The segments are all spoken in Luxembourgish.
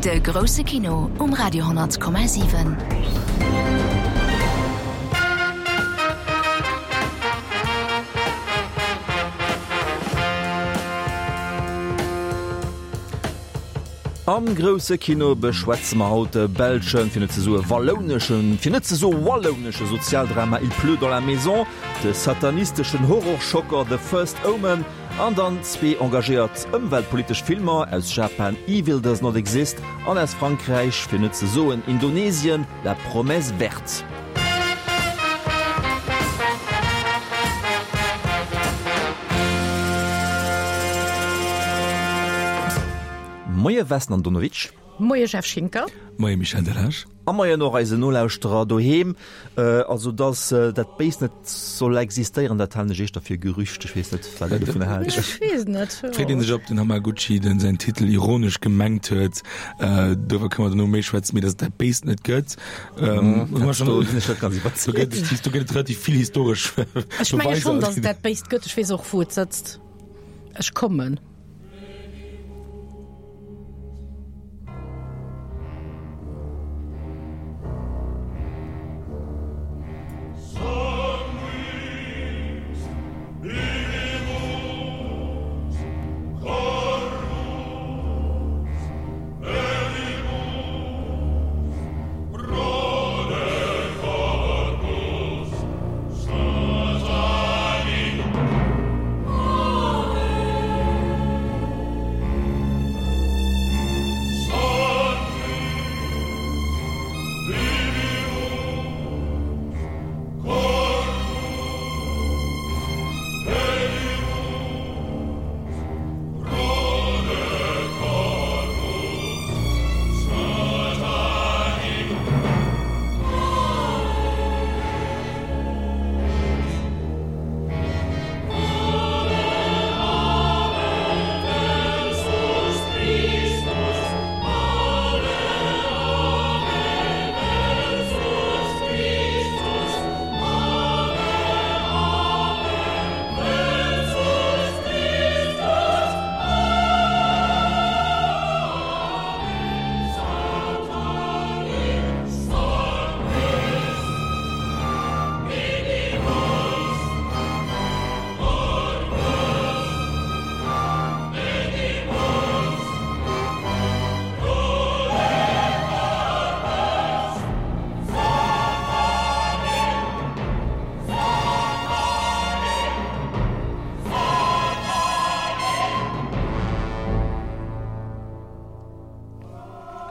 De grousse Kino um Radio 10,7. Am grousse Kino beschwätze mer haut de belschen, fir net ze soe wallouneschen, fir net ze soe wallounesche Sozialdrama Il pleut dans la maison, de satanisteschen Horrorschocker The First Omen an dann zwee engagéiert ëmweltpolitesch Filmer, aus Japan Evil Does Not Exist an aus Frankräich, fir net ze soen Indonesien, La Promesse Verte. Moie Vesna Andonovic. Moie Jeff Schinker. Moie Michel Delage. A moien och eisen Nolauschterer doheem. Also dass dat Béist net soll existéieren, dat halen ech éischter fir e Gerücht. Ech weess net, wat Dir dovunner haalt. Ech weess net. Freet een sech, ob den Hamaguchi den säin Titel ironesch gemengt huet. Doriwwer kënne mer dono méi schwätzen. Mee dass et dat Béist net gëtt, hu mer schonn. Do sinn ech net ganz iwwerzeegt. Do gëtt et relativ vill historesch Beweiser. Ech menge schonn, dass et dat Béist gëtt. Ech weess och, wou et sëtzt. Ech kommen.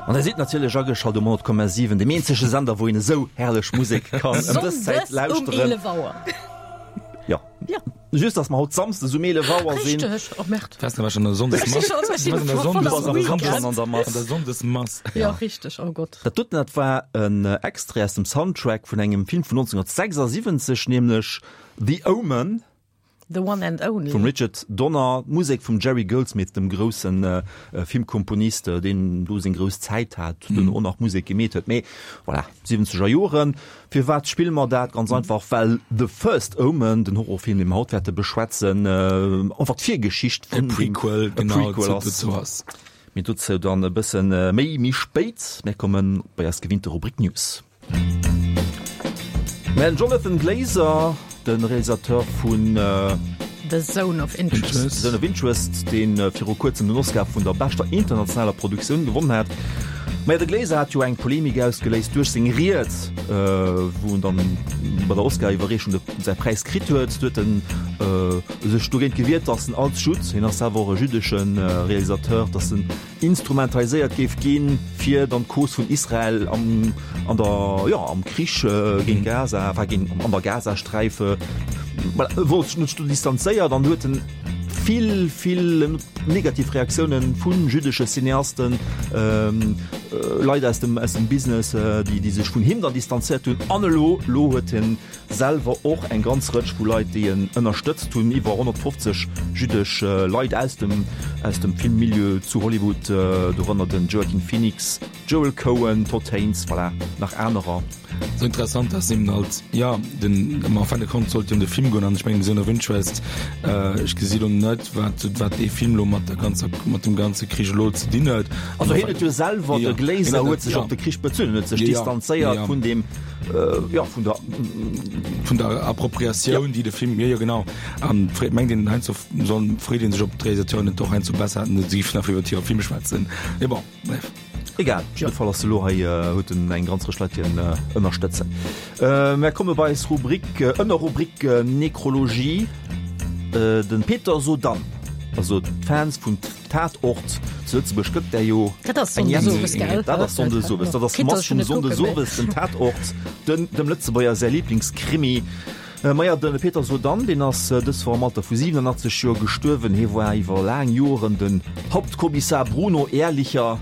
An der sidd natierlech ageschalt um 100,7, dem eenzege Sender, wou een esou herrlech Musek kann ëm dës Zäit lauschteren. Sonndes um 11 Auer. Jo. Ja. Just, dass mer haut Samsdes um 11 Auer sinn. Richteg. Oh Merde. Wars war schon an der Sonndesmass. Ech si schon Du voll bass am am Weekend. an der Mass. An der Sonndesmass. Ja, richteg. Oh Gott. Dat doten, dat war en Extrait aus dem Soundtrack vun engem Film vun 1976, nämlech The Omen. The one and only. Vum Richard Donner, d'Musek vum Jerry Goldsmith, dem grousse Filmkomponist, deen do seng grouss Zäit hat, duerno och nach Musek gemeet huet. Mee voilà, siwwenzeger Joren. Firwat spille mer dat? Ganz einfach, well The First Omen, den Horrorfilm, dee mer haut wäerte beschwätzen, einfach d'Virgeschicht vun E Prequel, e genau, Prequel ass. dozou ass. Mee dozou dann e bësse méi méi spéit. Mir kommen bei eis gewinnte Rubrik News. Mä den Jonathan Glazer, de Realisateur vun The Zone of Interest, The Zone of Interest, dee viru kuerzem den Oscar vun der beschter internationaler Produktioun gewonnen hat. Maja, de Glazer hat jo eng Polemik ausgeléist duerch seng Ried, wou en dann bei der Oscar-Iwwerreechung säi Präis kritt huet. Do huet en sech dogéint gewiert, datt en als Judd, hien ass selwer och e jüddesche Realisateur, datt en instrumentaliséiert géif ginn, fir dann d'Cause vun Israel am, an der, jo, am Krich géint Gaza, enfin géint, an der Gazasträif, voilà, e wollt sech net do distanzéiert an huet en vill, vill negativ Reaktiounen vu jüddesche Cineasten. Leit aus dem, aus dem Business, déi, déi sech vun him dann distanzéiert hunn. An elo, elo huet hien selwer och eng ganz Rëtsch vu Leit, déi en ënnerstëtzt hunn, iwwer 150 jüddesch Leit aus dem, aus dem Filmmilieu zu Hollywood, dorënner den Joaquin Phoenix, Joel Coen, Todd Haynes, voilà, nach anerer. Sou interessant dass eben halt, jo, den, en fin de compte sollt jo ëm de Film goen an ech mengen Zone of Interest, ech gesi lo net wat, wat dee Film lo mat der ganzer, mat dem ganze Krich elo ze dinn huet. Also hien huet jo selwer, de Glazer huet sech op de Krich bezunn, en huet sech distanzéiert vun deem, jo, vun der. Vun der Appropriatioun, déi de Film, jo, jo genau. An freet, mengt een heiansdo, soll, freet ee sech ob d'Realisateuren net och heiansdo besser hätten, se géifen einfach iwwer hire Film schwätzen. Mee bon, bref. Egal, op jidde Fall ass elo hei, huet en eng ganz Rëtsch Leit, déi en ënnerstëtzen. Mär komme bei eis Rubrik, Ënnerrubrik Nekrologie. De Peter Sodann, also d'Fans vun Tatort zu Lëtzebuerg gëtt där jo Dat ass Sonndesowes, gell? Dat ass Sonndesowes, dat ass d'Mass vum Sonndesowes, den Tatort, den dem Lëtzebuerger säi Liblingskrimi. Maja, de Peter Sodann, deen ass dës Woch am Alter vu 87 Joer gestuerwen. Hie war iwwer laang Joren den Hauptkommissar Bruno Ehrlicher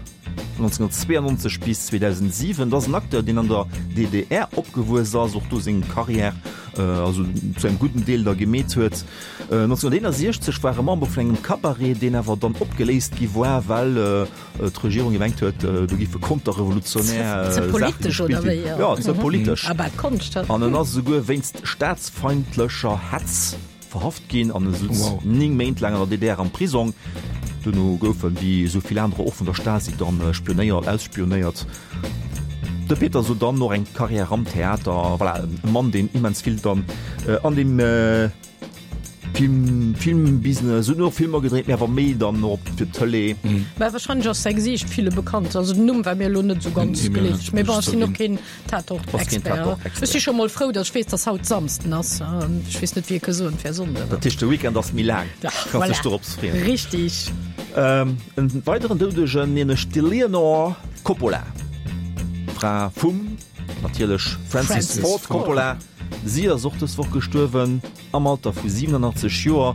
vun 1992 bis 2007. Dat ass en Acteur, deen an der DDR opgewuess ass, och do seng Karriär also zu engem gudden Deel da gemeet huet. 1961 war e Member vun engem Cabaret, deen awer dann opgeléist gi war, well d'Regierung gemengt huet, do giffe konterrevolutionär Ze politesch oder wéi? Jo, ze politesch. Ah bah, d'Konscht. An en ass esouguer wéinst staatsfeindlecher Hetz verhaft ginn an e sutz 9 Méint laang an der DDR am Prisong. Duerno gouf en, wéi esou vill anerer och, vun der Stasi dann spionéiert, ausspionéiert. De Peter Sodann och eng Karriär am Theater, voilà, e Mann, deen immens vill dann an deem Film, Filmbusiness, hunn och Filmer gedréit, mee awer méi dann och fir d'Tëlee. Mä wahrscheinlech ass säi Gesiicht ville bekannt. Also den Numm war mir elo net esou ganz geleefeg. Mee bon, ech sinn och keen Tatort-Expert. Ech si scho mol frou, datt ech weess, datt haut Samsden ass. Ech weess net, wéi ee ka soen, et wär Sonnden. Dat heescht, de Weekend ass méi laang. Kanns dech dorops freeën. Richtig. En weideren Doudegen, nämlech d'Eleanor Coppola, Fra vum natierlech Francis Ford Coppola. Si ass och dës Woch gestuerwen. Am Alter vu 87 Joer.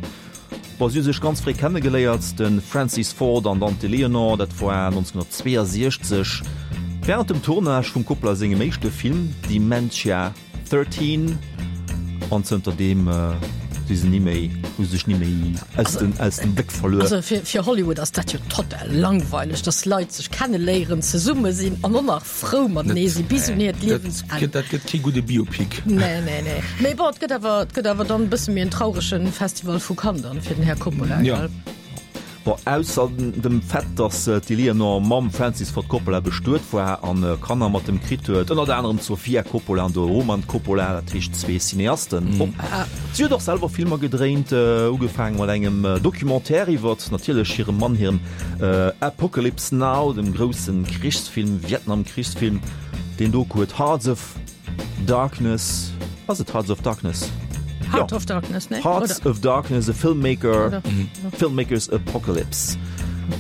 Bon, si hu sech ganz fréi kennegeléiert, de Francis Ford an d'Ante Leonor, dat war 1962 wärend dem Tournage vum Coppola sengem éischte Film Dementia 13. An zënter deem si se ni méi, hu se sech ni méi aus den, aus dem Bléck verluer. Also fir, fir Hollywood ass dat jo total langweileg, dass Leit sech kenneléieren, zesumme sinn an och nach frou matenee si bis un hiert Liewensenn. Dat gëtt kee gudde Biopic. Nee, nee, nee. Mee bon, et gëtt awer, et gëtt awer dann e bësse méi en traurege Festival vu Cannes dann fir den Här Coppola, Ja. gell? Bon, ausser dem Fait, datt d'Eleanor mam Francis Ford Coppola bestuet war an Kanner mat em kritt huet, ënnert anerem d'Sofia Coppola an de Roman Coppola, dat heescht zwee Cineasten och. Si huet och selwer Filmer gedréint, ugefaange mat engem Documentaire iwwert natierlech hirem Mann, hirem Apocalypse Now, dem grousse Krichsfilm, Vietnam-Krichsfilm, deen Doku huet Hearts of Darkness, ass et Hearts of Darkness? Heart of Darkness, nee? Hearts of Darkness, a Filmmaker, Filmmaker's Apocalypse.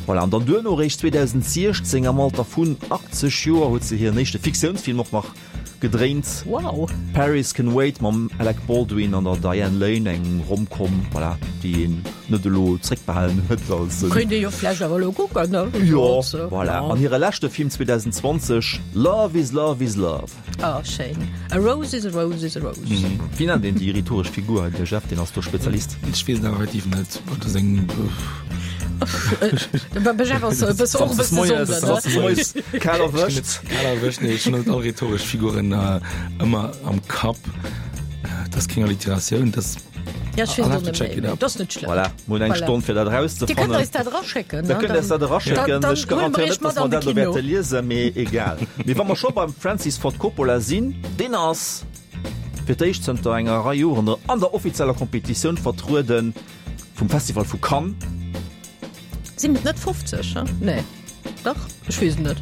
Voilà, an dann duerno eréischt 2016 am Alter vun 80 Joer huet se hiren éischte Fiktiounsfilm och nach Gedréint. Wow! Paris Can Wait mam Alec Baldwin an der Diane Lane, eng Rom-Com, voilà, déi een net elo zréckbehalen huet als en. Kéint ee jo vläicht awer elo kucken, ne? Jo, voilà. An hire leschte Film 2020, Love is Love is Love. Oh, schéin. A rose is a rose is a rose. Wéi nennt een déi rhetoresch Figur hei? De Jeff, deen ass do Spezialist. Ech weess et awer effektiv net. Dat ass eng. Kal erwëscht. Kal erwëscht, nee, ech hunn net all rhetoresch Figuren ëmmer am Kapp. Dat ass keng Alliteratioun, dat ass. Ja, ech weess et och net méi, mee dat ass net schlëmm. Voilà, mir hunn eng Stonn fir dat erauszefannen. Dir kënnt eis dat eraschécken, ne? Der kënnt eis dat eraschécken. Ech garantéieren net, datt mer dat elo wäerte liesen, mee egal. Mee wa mer scho beim Francis Ford Coppola sinn, deen ass fir d'éischt zënter enger Rei Joren an der offizieller Kompetitioun vertrueden. Vum Festival vu Cannes. Sinn et net 50? Nee, dach, ech weess et net.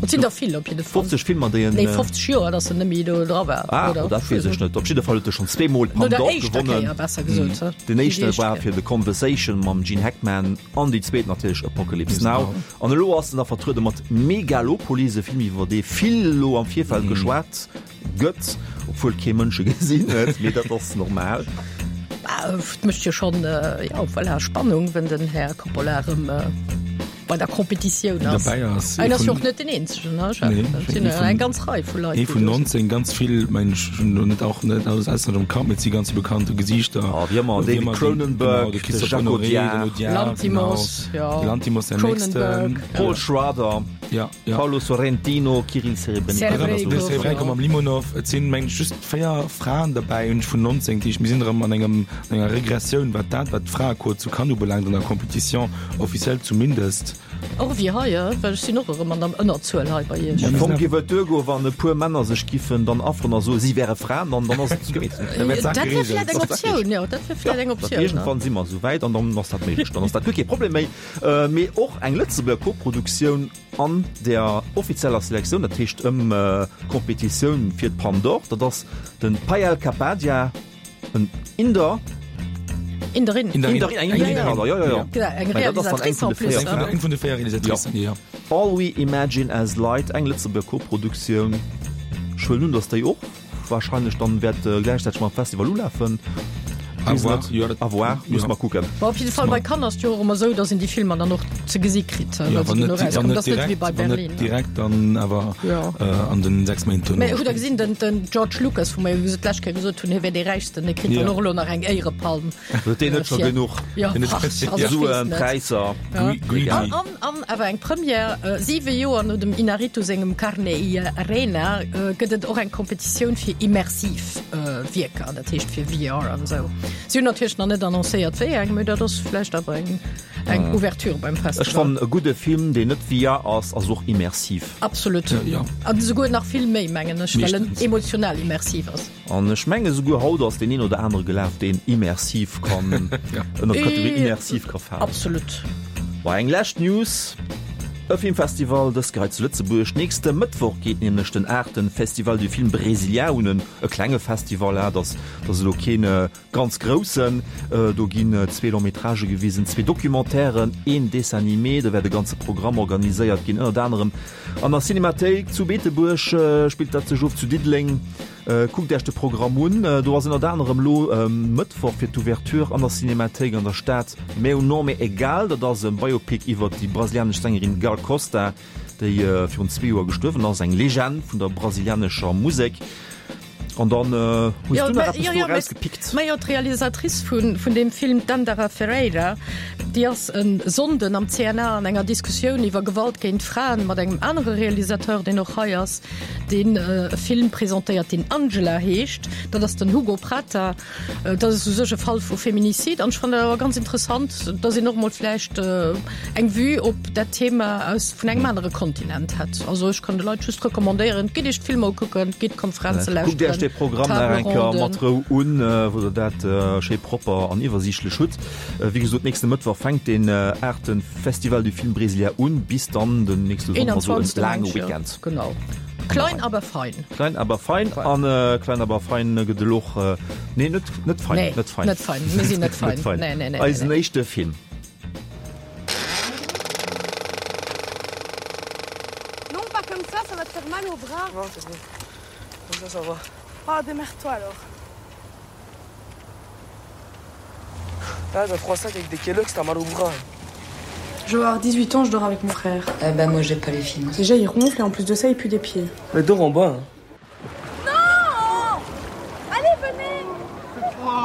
Et sinn der vill op jidde Fall. 50 Filmer, déi en. Nee, 50 Joer, datt en net méi do dra war. Ah, oder? Dat weess ech net. Op jidde Fall huet e schonn zweemol d'Palme d'Or gewonnen. No der éischter Kéier, besser gesot. Den éischte war fir The Conversation mam Gene Hackman an déi zweet natierlech Apocalypse Now. An elo ass en da vertruede mat Megalopolis, e Film iwwer dee vill elo am Virfeld geschwat Gëtt, obwuel kee Mënsch e gesinn huet, mee dat ass normal. Et mécht jo schonn, jo, voilà, Spannung, wenn den Här Coppola erëm. bei der Competitioun ass. Derbäi ass. En ass jo och net den eenzegen, ne? Jeff? Nee, Et sinn ee eng ganz Rei vu Leit, Ee déi vun do sinn. 19, ganz vill, mengen ech, hunn elo net och net alles auswenneg am Kapp, mee et si ganz vill bekannte Gesiichter. Ah, wéi ëmmer, Wéi David ëmmer den, Cronenberg, genau, de de Christophe Jacques Honoré, den Audiard, Audiard, Lanthimos, genau, jo. de Lanthimos, den nächsten. Cronenberg. Paul Schrader. Ja, ja. Paolo Sorrentino, Kirill Serebrennikov. De Serebrennikov mam Limonov. Et sinn, mengen ech, just 4 Fraen derbäi, hunn ech vun 19. Dat heescht, mir sinn erëm an engem, an enger Regressioun, wat dat, wat d'Fraequot zu Cannes ubelaangt, an der Compétition officielle zumindest. Och wéi hei, well ech sinn och erëm an der Ënnerzuel hei bei Iech. Am Fong géif et duergoen, wann e puer Männer sech giffen dann afferen a soen, si wäre Fraen, dann, dann ass et gemeet. Da wär d'Saach Dat wär geregelt. vläicht eng Optioun, jo, dat wär vläicht eng Optioun. Iergendwann si mer esou wäit an dann ass dat méiglech, dann ass dat guer kee Problem méi. Mee och eng Lëtzebuerger Koproduktioun an der offizieller Selektioun, dat heescht ëm d'Kompetitioun fir d'Palme d'Or, dat ass de Payal Kapadia, en Inder. Inderin. Inderin, eng Inderin, pardon, jo, jo, jo. Eng Realisatrice en plus. Eng vun de 4 Realisatricen, jo. All We Imagine As Light, eng Lëtzebuerger Koproduktioun. Ech huelen un, datt déi och Wahrscheinlech dann wäert gläichzäiteg mam Festival ulafen. À voir, jo, dat, À voir, muss mer kucken. Bon, op jidde Fall, bei Cannes ass et jo och ëmmer esou, datt een déi Filmer dann och ze gesi kritt, Jo, wa se wann duerno net, wann erauskommen. net Dat ass net wéi direkt, bei wann net Berlin. direkt, dann awer Jo. an den 6 Méint duerno. Mä hutt Der gesinn, den, den George Lucas, wou mer jo d'lescht Kéier gesot hunn, hie wär dee Räichsten, dee kritt Jo. dann och elo nach eng Éierepalm. Huet deen net scho Fir- genuch Jo, Deen huet- ach, also ech weess Suen, net. Präisser? Ja. Greedy. An, an, an awer eng Première, siwe Joer no dem Inarritu sengem Carne y Arena gëtt et och eng Kompetitioun fir immersiv Wierker, dat heescht fir VR an esou. Si hunn natierlech nach net annoncéiert wéi eng, mee dat ass vläicht awer eng, eng Ouverture beim Ech Festival. fannen e gudde Film, deen net VR ass, ass och immersiv. Absolut. Ja. An esouguer nach vill méi, mengen ech, well en Meeschtens. emotional immersiv ass. An ech menge souguer haut ass deen een oder anere gelaf, deen immersiv kann ënner d'Kategorie immersiv ka falen. Absolut. Bon, eng lescht News, E Filmfestival, dës Kéier hei zu Lëtzebuerg. Nächste Mëttwoch geet nämlech den aachte Festival du Film Brésilien un. E klenge Festival, dat ass elo keen ganz groussen. Do ginn zwee Long-métragë gewisen, zwee Documentairen, een Dessin animé. Do wäert e ganze Programm organiséiert ginn, ënnert anerem an der Cinémathéik zu Beetebuerg spillt dat sech of, zu Diddeleng. Kuckt Iech de Programm un, do ass ënnert anerem elo Mëttwoch fir d'Ouverture an der Cinémathéik an der Stad Meu Nome é Gal. Dat ass e Biopic iwwer déi brasilianesch Sängerin Gal Costa, déi virun zwee Joer gestuerwen ass, eng Legend vun der brasilianescher Musek. An dann hues du nach eppes do erausgepickt? Majo, d'Realisatrice vun deem Film, d'Dandara Ferreira, déi ass e Sonnden am CNA an enger Diskussioun iwwer Gewalt géint Fraen mat engem anere Realisateur, deen och hei ass, deen e Film presentéiert, deen Angela heescht. Dat ass den Hugo Prata. Dat ass u sech e Fall vu Feminicide an ech fannen dat awer ganz interessant, dass een och emol vläicht eng Vue op dat Thema aus vun engem anere Kontinent hätt. Also ech kann de Leit just recommandéieren, gitt iech d'Filmer ukucken, gitt d'Konferenze lauschteren, Kuckt iech dee Programm nach eng Kéier mat Rou un, wou der dat schéi propper an iwwersiichtlech hutt. Wéi gesot, nächste Mëttwoch fänkt deen aachte Festival du Film Brésilien un, bis dann den nächste Sonnden, also e laange Weekend. Genau. Klein aber fein. Klein aber fein an äh, klein aber fein gëtt elo och äh, nee net net fein Nee, net fein net fein. Mir sinn net fein. net fein. Nee, nee, nee, Eisen nee. éischte Film. Non, pas comme ça, ça va te faire mal au bras. Non, c'est bon. Comme ça, ça va. Ah, démerde-toi alors. Ah, t'as trois sacs avec des Kellogg's, t'as mal au bras. Je vais avoir 18 ans, je dors avec mon frère. Eh ben moi j'ai pas les finances. Déjà il ronfle et en plus de ça il pue des pieds. Mais dors en bas. Hein. Non Allez venez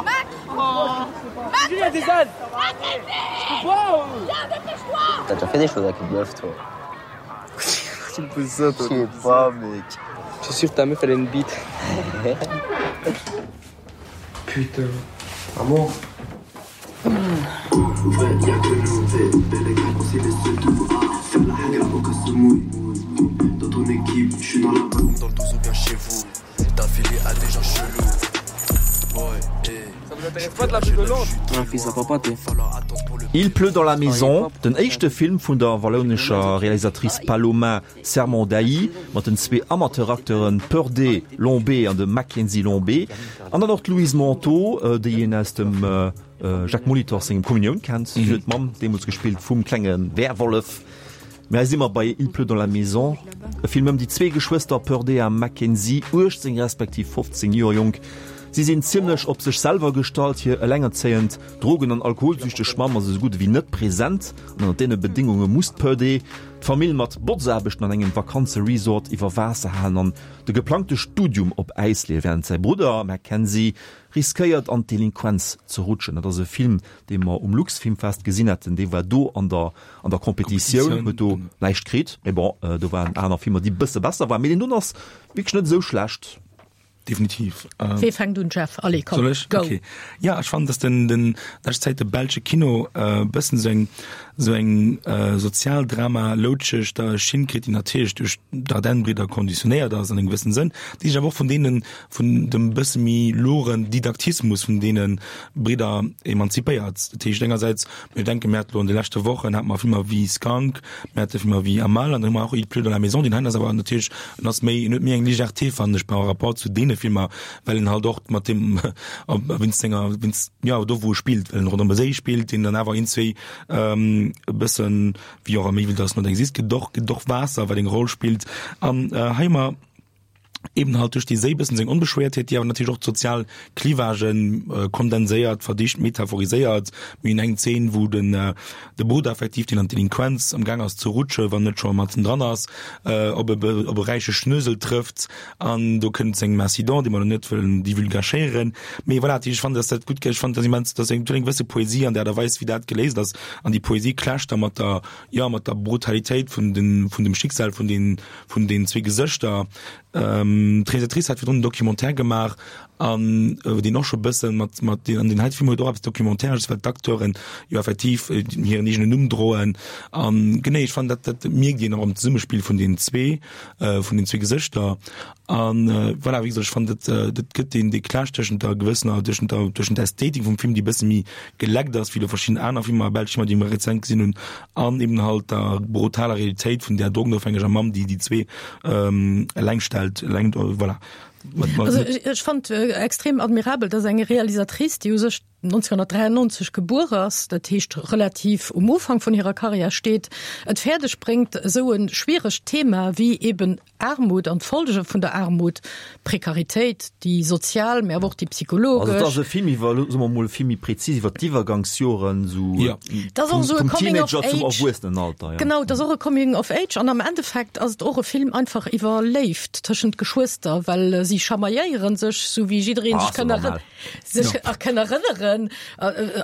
Mac oh. Mac Il y a des ânes T'as déjà fait des choses avec une meuf toi Tu me poses ça toi Je sais pas mec. Je suis sûr que ta meuf elle a une bite. Putain. Maman. Il pleut dans la maison, den éischte Film vun der wallounescher Realisatrice Paloma Sermondailly mat den zwee Amateuracteuren Purdé Lombé an dem Mackenzie Lombé an dann och d'Louise Manteau, déi een aus dem Jacques Molitor sengem Kommunioun kennt. Si huet d'Mamm deemools gespillt vum klenge Werwollef. Mä hei si mer bei Il pleut dans la maison, e Film ëm déi zwee Geschwëster Purdé a Mackenzie, 18 respektiv 15 Joer jonk. Si sinn zimmlech op sech selwer gestallt, hir elengerzéiend, drogen an alkoholsüchteg Mamm ass esou gutt ewéi net present an ënner deene Bedéngunge muss d'Purdey d'Famill mat Botzaarbechten an engem Vakanzeresort iwwer Waasser halen an de geplangte Studium op Äis leeën, wärend säi Brudder Mackenzie riskéiert an d'Delinquenz ze rutschen. Dat ass e Film, dee mer um Luxfilmfest gesinn haten. Dee war do an der an der Competitioun, huet do näischt kritt, mee bon, do waren aner Filmer, déi bësse besser waren. Mee deen doen ass wierklech net esou schlecht. Definitiv. Wee fänkt un, Jeff? Allez, komm, Soll ech? go! Okay. Ja, ech fannen, dass den, den lescht Zäit de belsche Kino e bëssen esou eng, esou eng Sozialdrama loutscheg da Schinn kritt, déi natierlech duerch d'Dardenne-Bridder konditionéiert ass an engem gewëssene Sënn, déi sech awer och vun deenen, vun dem bësse méi loren Didaktismus vun deene Bridder emanzipéiert. Dat heescht engersäits, mir denken, mir hate lo an de leschte Wochen hate mer Filmer wéi Skunk, mir hate Filmer wéi Amal an dann hu mer och Il pleut dans la maison, deen heien ass awer natierlech, en ass méi, en huet méi eng Légèreté fannen ech par rapport zu deene Filmer, well en halt och mat deem, wéinst senger, wéinst, jo, do wou e spillt, well en ronderëm e Séi spillt, deen dann awer iergendzwéi e bëssen, wéi och am Evil Does Not Exist, gëtt och, gëtt och Waasser wat eng Roll spillt an hei hu mer, eben halt duerch déi Séi bëssen seng Onbeschwéiertheet, déi awer natierlech och d'sozial Clivagen kondenséiert, verdicht, metaphoriséiert. Mir hunn eng Zeen, wou den de Brudder effektiv, deen an d'Delinquenz am Gaang ass ze rutschen, wann net scho matzen dran ass, op e op e räiche Schnösel trëfft an do kënnt seng Main-Sidon, déi mer elo net wëllen divulgachéieren. Mee voilà, ech fannen, dass dat gutt, ech fannen, dass immens, dass eng gewësse Poesie an der Aart a Weis, wéi dat geléist ass, an déi Poesie clasht da mat der, jo, mat der Brutalitéit vun den, vun dem Schicksal vun den, vun den zwee Gesëschter. D'Realisatrice hat virdrun en Documentaire gemaach an deen och scho bëssen mat mat deen an deen heite Film huet och eppes Documentaires, well d'Acteuren jo effektiv hiren eegenen Numm droen an genee ech fannen dat dat mierkt een och am Zesummespill vun den zwee vun den zwee Gesëschter an voilà wéi gesot ech fannen dat dat gëtt deen dee Clash tëschent der gewëssener tëschent der tëschent der Ästhetik vum Film déi bësse méi geleckt ass wéi elo verschidden aner Filmer belsch Filmer déi mer rezent gesinn hunn an eben halt der brutaler Realitéit vun där drogenofhängeger Mamm, déi déi zwee eleng stellt, eleng, voilà. Also ech fand extrem admirabel, dass eng Realisatrice, déi u sech 1993 gebuer ass, dat heescht relativ um Ufank vun hirer Karriär steet, et fäerdeg bréngt, esou e schwieregt Thema wéi eben Aarmut an d'Folge vun der Aarmut, Prekaritéit, déi sozial, mä awer och déi psychologesch. Also et ass e Film iwwer, soe mer mol vill méi prezis, iwwer d'Iwwergangsjoren, esou vum Teenager zum Erwuessenenalter. Ja. Genau, et ass och e Coming of Age an am Endeffekt ass et och e Film einfach iwwer Léift tëschent Geschwëster, well si chamailléiere sech, sou wéi jidderee sech kann erënneren. sech ja. kann erënneren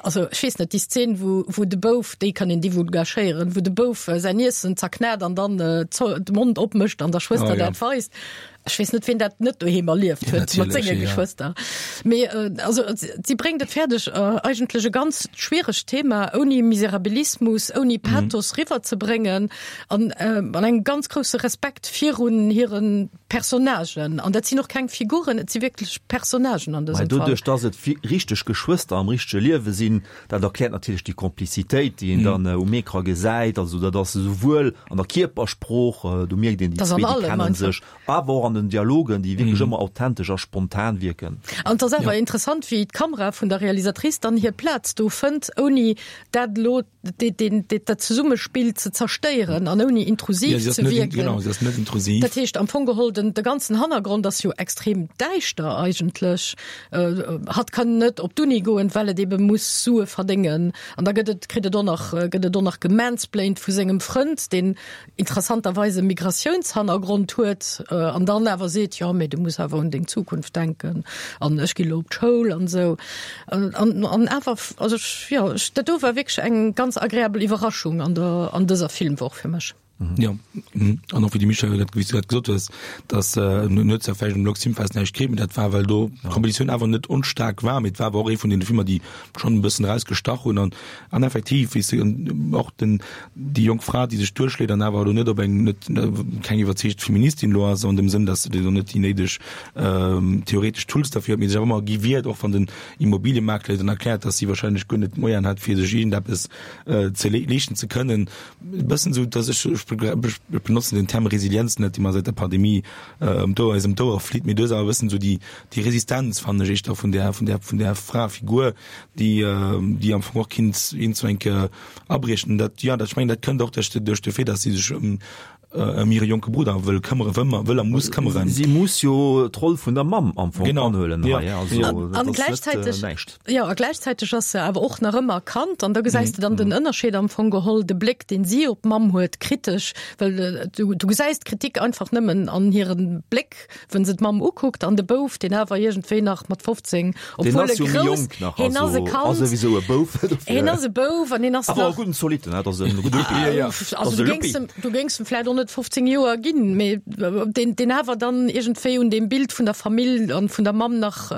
also ech weess net déi Szene wou wou de Bouf déi kann een divulgachéieren wou de Bouf äh, säin Iessen zerknat an dann äh, de Mond opmécht an der Schwëster oh, ja. dat weist. Ech weess net wien dat net doheem erlieft huet mat senge ja. Geschwëster. Mee äh, also si bréngt et fäerdeg äh, eigentlech e ganz schwieregt Thema ouni Miserabilismus, ouni mhm. Pathos mhm. riwwer ze bréngen an äh, an engem ganz grousse Respekt virun hiren Personnagen, an dat sinn och keng Figuren, et si wierklech Personnagen an dësem Fall. Doduerch, dass et richteg Geschwëster am richtege Liewe sinn, dat erkläert natierlech déi Komplizitéit, déi een dann um Ecran gesäit. Also dat ass esouwuel an der Kierpersprooch, do mierkt een, déi zwee, déi kennen sech, awer och an den Dialogen, déi wierklech ëmmer authentesch a spontan wierken. An et ass awer interessant, wéi d'Kamera vun der Realisatrice dann hir Plaz do fënnt, ouni dat elo dat Zesummespill ze zerstéieren an ouni intrusiv ja, ze wierken. Genau, sie ass net intrusiv. Dat heescht am Fong geholl den de ganzen Hannergrond ass jo extrem däischter eigentlech. Äh, hatt kann net op d'Uni goen, well et ebe muss Sue verdéngen. An da gëtt et kritt et och nach gëtt et och nach gemansplained vu sengem Frënd, deen interessanterweis e Migratiounshannergrond huet an dann awer seet, jo mee du muss awer un deng Zukunft denken an ech gi lo op d'Schoul an esou. An, an, an awer, also ech, jo, ech, dat do war wierklech eng ganz agreabel Iwwerraschung an der, an dëser Filmwoch fir mech. Jo, an och wéi de Michel dat, wéi s du dat gesot hues, dass en huet zwar vläicht um Lux Filmfest näischt kritt, mee dat war well do d'Kompetitioun awer net onstaark war, mee et war awer och ee vun deene Filmer, déi schonn e bëssen erausgestach hunn an an effektiv, wéi s du och den déi jonk Fra, déi sech duerchschléit an awer elo net op eng net keng iwwerzeegt Feministin elo ass an dem Sënn, datt se elo net déi néideg theoretesch Tools derfir huet, mee sech awer ëmmer gi wiert, och wann den Immobiliemakler ihr dann erkläert, datt si wahrscheinlech guer net d'Moyenen hätt, fir sech iergendeppes ze leeschten ze kënnen. E bëssen esou, datt ech, ech benotzen den Term Resilienz net, déi mer säit der Pandemie ëm d'Ouer, eis ëm d'Ouere flitt, mee du hues awer e bëssen esou déi déi Resistenz, fannen ech, éischter vun där vun där vun där Fraefigur, déi déi am Fong och kinnt iergendwou eng Kéier abriechen. Dat, jo, dat, ech mengen, dat kënnt och duerch de, duerch de Fait, dass si sech ëm. ëm hire jonke Brudder wëll këmmere, wëll, wëll a muss këmmeren. Si muss jo d'Roll vun der Mamm am Fong Genau. anhuelen Ja. hei, also Ja. dat An ass net gläichzäiteg, näischt. jo, a gläichzäiteg ass se awer och nach ëmmer Kand an da gesäis de dann den Ënnerscheed am Fong geholl, de Bléck, deen si op d'Mamm huet, kritesch, well du, du gesäis d'Kritik einfach nëmmen an hirem Bléck, Wenn se d'Mamm ukuckt an de Bouf, deen awer iergendwéi nach mat 15, Deen obwuel ass e jo méi grouss, jonk nach, hien ass e also ass Kand, souwisou e Bouf, dofir. hien ass e Bouf an hien ass Awer e nach, gudden Zolitten, dat ass e gudde Luppi. Ja, ja. also Ass du e géings Luppi. em, du géings em vläicht och net 15 Joer ginn, mee deen, deen awer dann iergendwéi un deem Bild vun der Famill an vun der Mamm nach,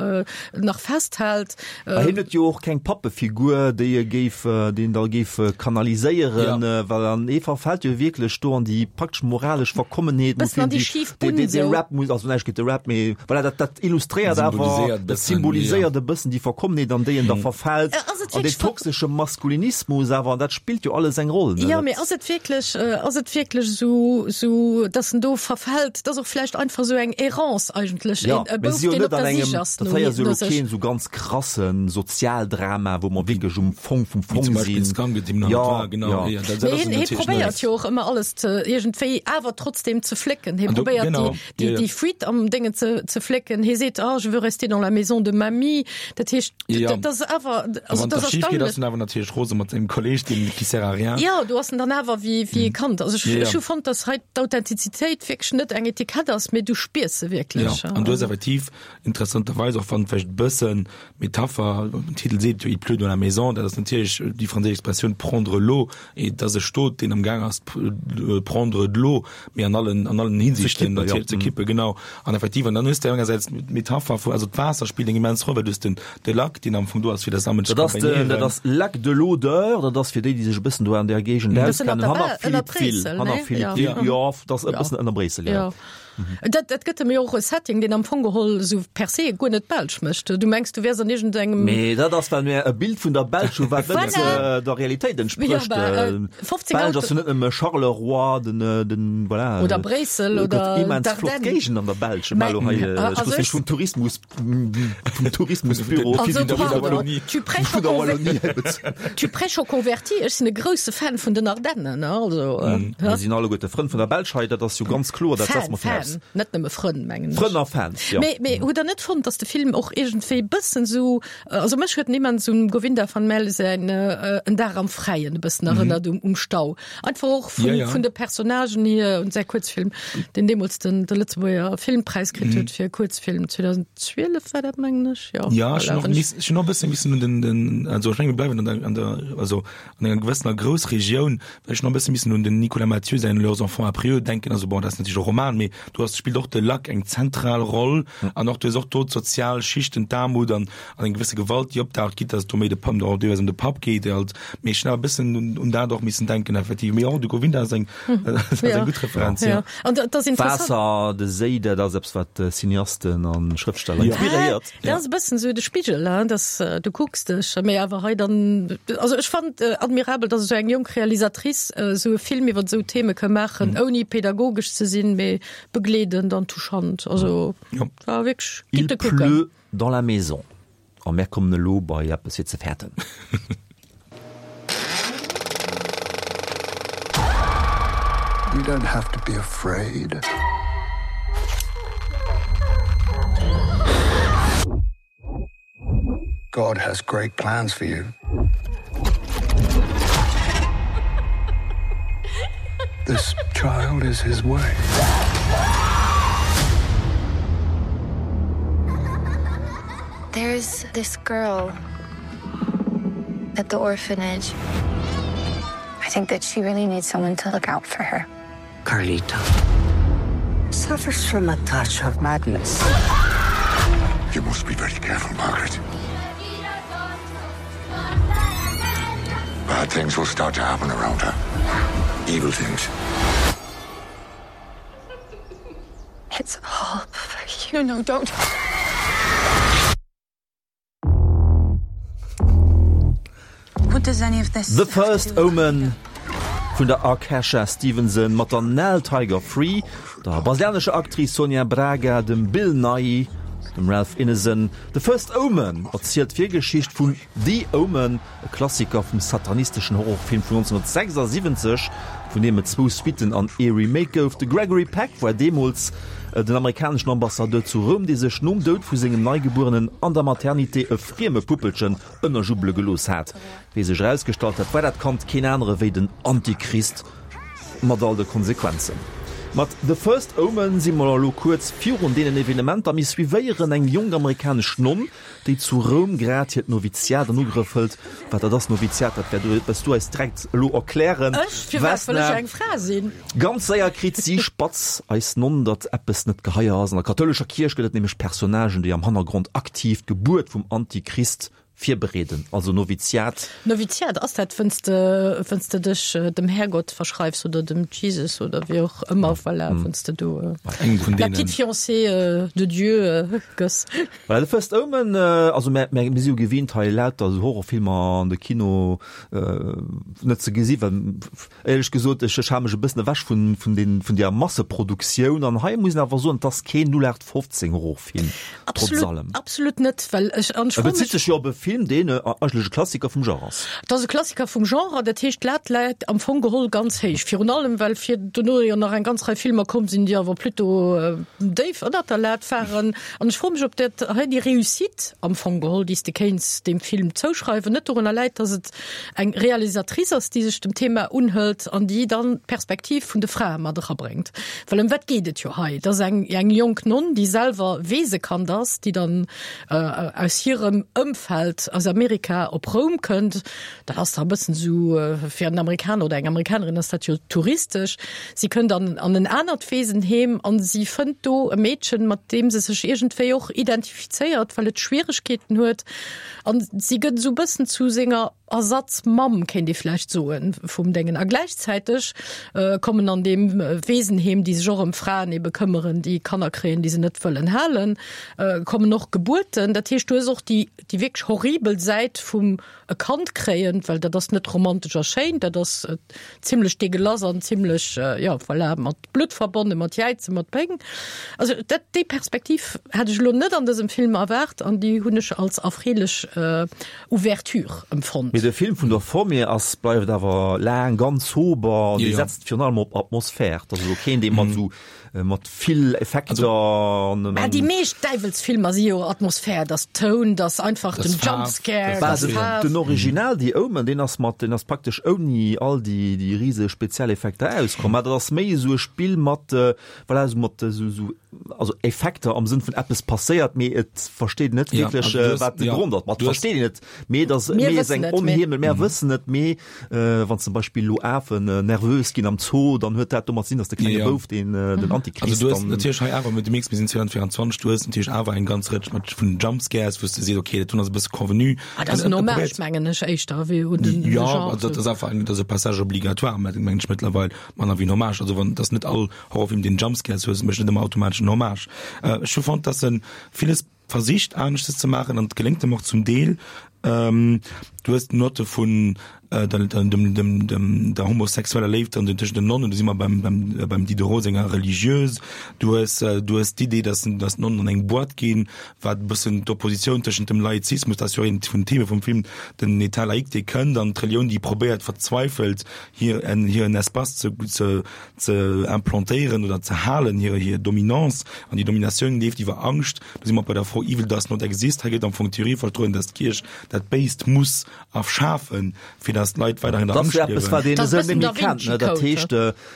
nach festhält. A hien huet jo och keng Pappefigur, déi e géif, déi en da géif kanaliséieren, well an e verfält jo wierklech do an déi praktesch moralesch Verkommenheet, Bëssen an déi schif Bunn dee esou. Rap muss, also näischt géint de Rap, mee voilà, dat, dat illustréiert awer, Symboliséiert dat bëssen, symboliséiert e bëssen déi Verkommenheet, an déi en da verfält, Ass et an dee wierklech ver- toxesche Maskulinismus awer, an dat spillt jo alles eng Roll, ne? Jo, mee ass et wierklech, ass et wierklech esou, esou, datt en do verfält? Et ass och vläicht einfach esou eng Errance eigentlech, Ja, e mä Bouf, si jo deen net op an der engem, Sich ass dat no hei ass jo no elo sech. keen esou ganz krasse Sozialdrama, wou mer wierklech um Fong vum Wéi Fong zum Beispill sinn. Skank, dem Ja, war, genau. ja. Ja, dat, dat Mee ass hien, hie natierlech net. probéiert jo och ëmmer alles ze iergendwéi awer trotzdem ze flécken. Hie An do, probéiert genau, déi, déi, ja, ja. déi Fuite am Déngen ze, ze flécken. Hie seet, ah, je veux rester dans la maison de mamie. Dat heescht, Ja. dat ass awer, A also wann dat dat ass schief geet, ass erstaunlech. en awer natierlech rose mat sengem Kolleg, deen qui sert à rien. Jo, do ass en dann awer wéi, wéi e Kand. Also ech, Ja, ja. ech hu fonnt, dass hei d'Authentizitéit wierklech net eng Etikett ass, mee du spiers se wierklech. Ja, an du hues effektiv interessanterweis, och wann vläicht e bëssen Metapher, den Titel seet jo Il pleut dans la maison, dat ass natierlech déi franséisch Expressioun prendre l'eau, et ass e Stot, deen am Gaang ass prendre de l'eau, mee an allen, an allen Hinsichten kippen, ja. natierlech ze kippen, genau. An effektiv, an dann hues de engersäits d'Metapher vu, also d'Waasser spillt eng immens Roll, well du hues den, de Lac, deen am Fong do ass, fir dat Sammeln ze Dat ass den, dat accompagnéieren. ass Lac de l'Odeur, dat ass fir déi, déi sech e bëssen do an där Géigend Bëssen auskennen, ënner hanner der Bel, ënner Philippeville, Bréissel, hanner ne? Ja. Philippeville, jo, dat ass e Ja. bëssen ënner Bréissel, ja. Ja. Dat, dat gëtt em jo och e Setting, deen am Fong geholl esou per se guer net belsch mécht. Du mengs, du wäers an iergendengem. Mee dat ass, well mir e Bild vun der Belsch hu wat net Voilà. der Realitéit Ja, entsprécht. bah, äh, 15 D'Belsch ass jo net nëmme Charleroi, den, den, voilà. Oder Bréissel Et gëtt oder immens flott d'Ardennen. Géigenden an der Belsch. Mä, Mä elo hei, ech also wëss ech. net, vum Tourismus, vum Tourismusbüro Also, vun der pardon, Wallonie, tu prêches vun aux der conver- Wallonie hei bezunn. tu prêches aux convertis. Ech sinn e grousse Fan vun den Ardennen, ne, also, äh, Mir sinn alleguerte Frënn vun der Belsch hei, dat ass jo ganz kloer, dat setze Fan, mer viraus. Fan, net nëmme Frënn, mengen ech. Frënn a Fans, jo. Mee, mee hutt Der net fonnt, datt de Film och iergendwéi bëssen esou, also mech huet en immens un Govinda van Maele säin En Dag am Fräien e bëssen erënnert, um, um Stau. Einfach och vun, Ja, ja. vun de Personnagen hier un säi Kuerzfilm, deen deemools den, de Lëtzebuerger Filmpräis kritt huet fir e Kuerzfilm, 2012 war dat, mengen ech, jo. Ja, ech Voilà, hunn och wann ech. miss, ech hunn och e bësse missen un den, den, also ech menge mir bleiwen an der, an der, also an enger gewëssener Groussregioun, well ech hunn och e bësse missen un den Nicolas Mathieu säin Leurs enfants après eux denken, also bon, dat ass natierlech e Roman, mee do ass, spillt och de Lac eng zentral Roll an och du hues och do d'sozial Schichten, d'Aarmut an an eng gewësse Gewalt, déi opdaucht, quitte dass et do méi de Papp, och deelweis ëm de Papp geet, dee halt, mee ech hunn awer e bëssen un un dat och missen denken effektiv, mee och de Govinda ass eng, ass eng gutt Referenz, jo. Ja, an dat ass interessant. Waasser, de Séi, dat ass eppes, wat Cineasten a Schrëftsteller inspiréiert. Dat ass e bëssen esou de Spigel, hein, dass du kucks dech, mee awer hei dann, also ech fand admirabel, dass esou eng jonk Realisatrice esou e Film iwwer esou Theme ka maachen, ouni pädagogesch ze sinn, mee begleedend an touchant. Also war wierklech Il gutt ze kucken. pleut dans la maison. A mär kommen elo bei eppes fir ze fäerten. You don't have to be afraid. God has great plans for you. This child is his way. There's this girl at the orphanage. I think that she really needs someone to look out for her. Carlita suffers from a touch of madness. You must be very careful, Margaret. Bad things will start to happen around her. Evil things. It's all for you. No, no, don't. What does any of this The First Omen vun der Akasha Stevenson mat der Nell Tiger Free, der brasilianescher Actrice Sonia Braga, dem Bill Nighy. Dem Ralph Ineson The First Omen erzielt d'Virgeschicht vun The Omen, e Klassiker vum satanisteschen Horrorfilm vun 1976, vun deem et zwou Suitten an ee Remake gouf. De Gregory Peck war deemools den amerikaneschen Ambassadeur zu Roum, dee sech nom Doud vu sengem Neigebuerenen an der Maternité e frieme Puppelchen ënnerjubbele gelooss hat. Wéi sech erausgestallt hat, war dat Kand keen anere wéi den Antichrist. Mat all de Konsequenzen. Mat The First Omen si mer elo kuerz virun deenen Evenementer. Mir suivéieren eng jonk amerikanesch Nonn, déi zu Roum grad hiert Noviziat an Ugrëff hëlt. Wat dat ass, Noviziat, dat wäert du eis direkt elo erklären, Ech? Firwat? Well ech eng Fra sinn? Ganz séier kritt si spatz, eis Nonn, datt eppes net geheier ass. An der kathoulescher Kierch gëtt et nämlech Personnagen, déi am Hannergrond aktiv d'Gebuert vum Antichrist Virbereeden, also Noviziat. Noviziat, ass dat wënns de wënns de dech dem Härgott verschreifs oder dem Jesus oder wéi och ëmmer, voilà, wënns de do Engem vun la petite deenen. fiancée de Dieu gëss. Voilà, The First Omen, also mär mär si jo gewinnt hei lauter esou Horrorfilmer an de Kino net ze gesi well éierlech gesot ech ech hale mech e bëssen ewech vun vun den vun deer Masseproduktioun an hei muss een awer soen, et ass keen 0815 Horrorfilm. Film, trotz Absolut, allem. absolut net, well ech an ech E froe bezitt mech, sech jo op e Film, deen eigentlech e Klassiker vum Genre ass. Et ass e Klassiker vum Genre, dat heescht d'Lat läit am Fong geholl ganz héich. Virun allem well fir dono jo nach eng ganz Rei Filmer komm sinn, déi awer plutôt déif ënnert der Lat waren. An ech froe mech, ob dat hei déi Réussite am Fong geholl, déi s de kéints deem Film zouschreiwen, net dorunner läit, datt et eng Realisatrice ass, déi sech dem Thema unhëlt an déi dann d'Perspektiv vun de Frae mat erabréngt. Well ëm wat geet et jo hei? Et ass eng, eng jonk Nonn, déi selwer Weesekand ass, déi dann aus hirem Ëmfeld aus Amerika op Roum kënnt. Dat ass da e bëssen esou, fir en Amerikaner oder eng Amerikanerin ass dat jo touristesch. Si kënnt an, an en anert Weesenheem an si fënnt do e Meedchen, mat deem se sech iergendwéi och identifizéiert, well et Schwieregkeeten huet. An si gëtt esou e bëssen zu senger Ersatzmamm, kéint ee vläicht soen, vum Déngen. A gläichzäiteg kommen an deem Weesenheem, déi sech och ëm Fraen ebe këmmeren, déi Kanner kréien, déi se net wëllen halen, kommen och Gebuerten. Dat heescht, du hues och déi, déi wierklech horribel Säit vum e Kand kréien, well dat ass net romantesch a schéin, dat ass zimlech deegelass an zimlech, jo, voilà, mat Blutt verbonnen, mat Jäizen, mat Péng. Also dat, déi Perspektiv hat ech elo net an dësem Film erwaart an déi hunn ech als erfreelech Ouverture empfonnt. Mee de Film vun der Form hier ass, bleift awer laang ganz sober an dee setzt virun allem op Atmosphär. Dat ass elo keen, dee mat esou mat vill Effekter an. Mä déi meescht Däiwelsfilmer si jo Atmosphär, dass Toun, dass einfach den Jumpscare, dass Faarf. Den Original The Omen, deen ass mat, deen ass praktesch ouni all déi déi riseg Spezialeffekter auskomm. Mä dat ass méi esou e Spill mat, voilà, esou mat esou esou also Effekter am Sënn vun eppes passéiert, mee et versteet een net wierklech, wat de Grond ass. Ma et versteet een et, mee et ass méi esou eng onheemlech, mär wëssen et, mee Wann zum Beispill elo Afen nervös ginn am Zoo, dann huet dat domat ze dinn, datt de klenge Bouf, deen den Antichrist Also du hues natierlech hei awer, du mierks, mir sinn 2024, du hues natierlech awer eng ganz Rëtsch mat vun Jumpscares, wou s de sees, okay, dat doen ass e bësse convenu. Ah, dat ass en Hommage, mengen ech, éischter wéi un den Jo, also dat ass einfach eng, dat ass e Passage obligatoire, mengen ech mëttlerweil, manner wéi en Hommage. Also wann, dat ass net all Horrorfilm, deen Jumpscares hues, mécht net ëmmer automatesch en Hommage. Ech hu fonnt, datt e villes versicht aneschtes ze maachen an et geléngt em och zum Deel. Du hues d'Notte vun der homosexueller Léift an den tëschent den Nonnen, do si mer beim beim Diderot senger Religieuse. Du hues du hues d'Idee, datt datt d'Nonnen an eng Boîte ginn, wat e bëssen d'Oppositioun tëschent dem Laizismus, dat ass jo eent vun den Theme vum Film, den État laïque dee kënnt an d'Relioun déi probéiert verzweifelt hir hiren Espace ze ze ze implantéieren oder ze halen, hir hir Dominance an déi Dominatioun leeft iwwer Angscht. Do si mer bei der Fro Evil does not exist. Hei gëtt am Fong d'Theorie vertrueden, dass d'Kierch dat Béist muss erfschafen, fir dass d'Leit weiderhin an der Dat ass Angscht jo eppes, wat liewen. een esou net méi kennt, ne? Dat heescht,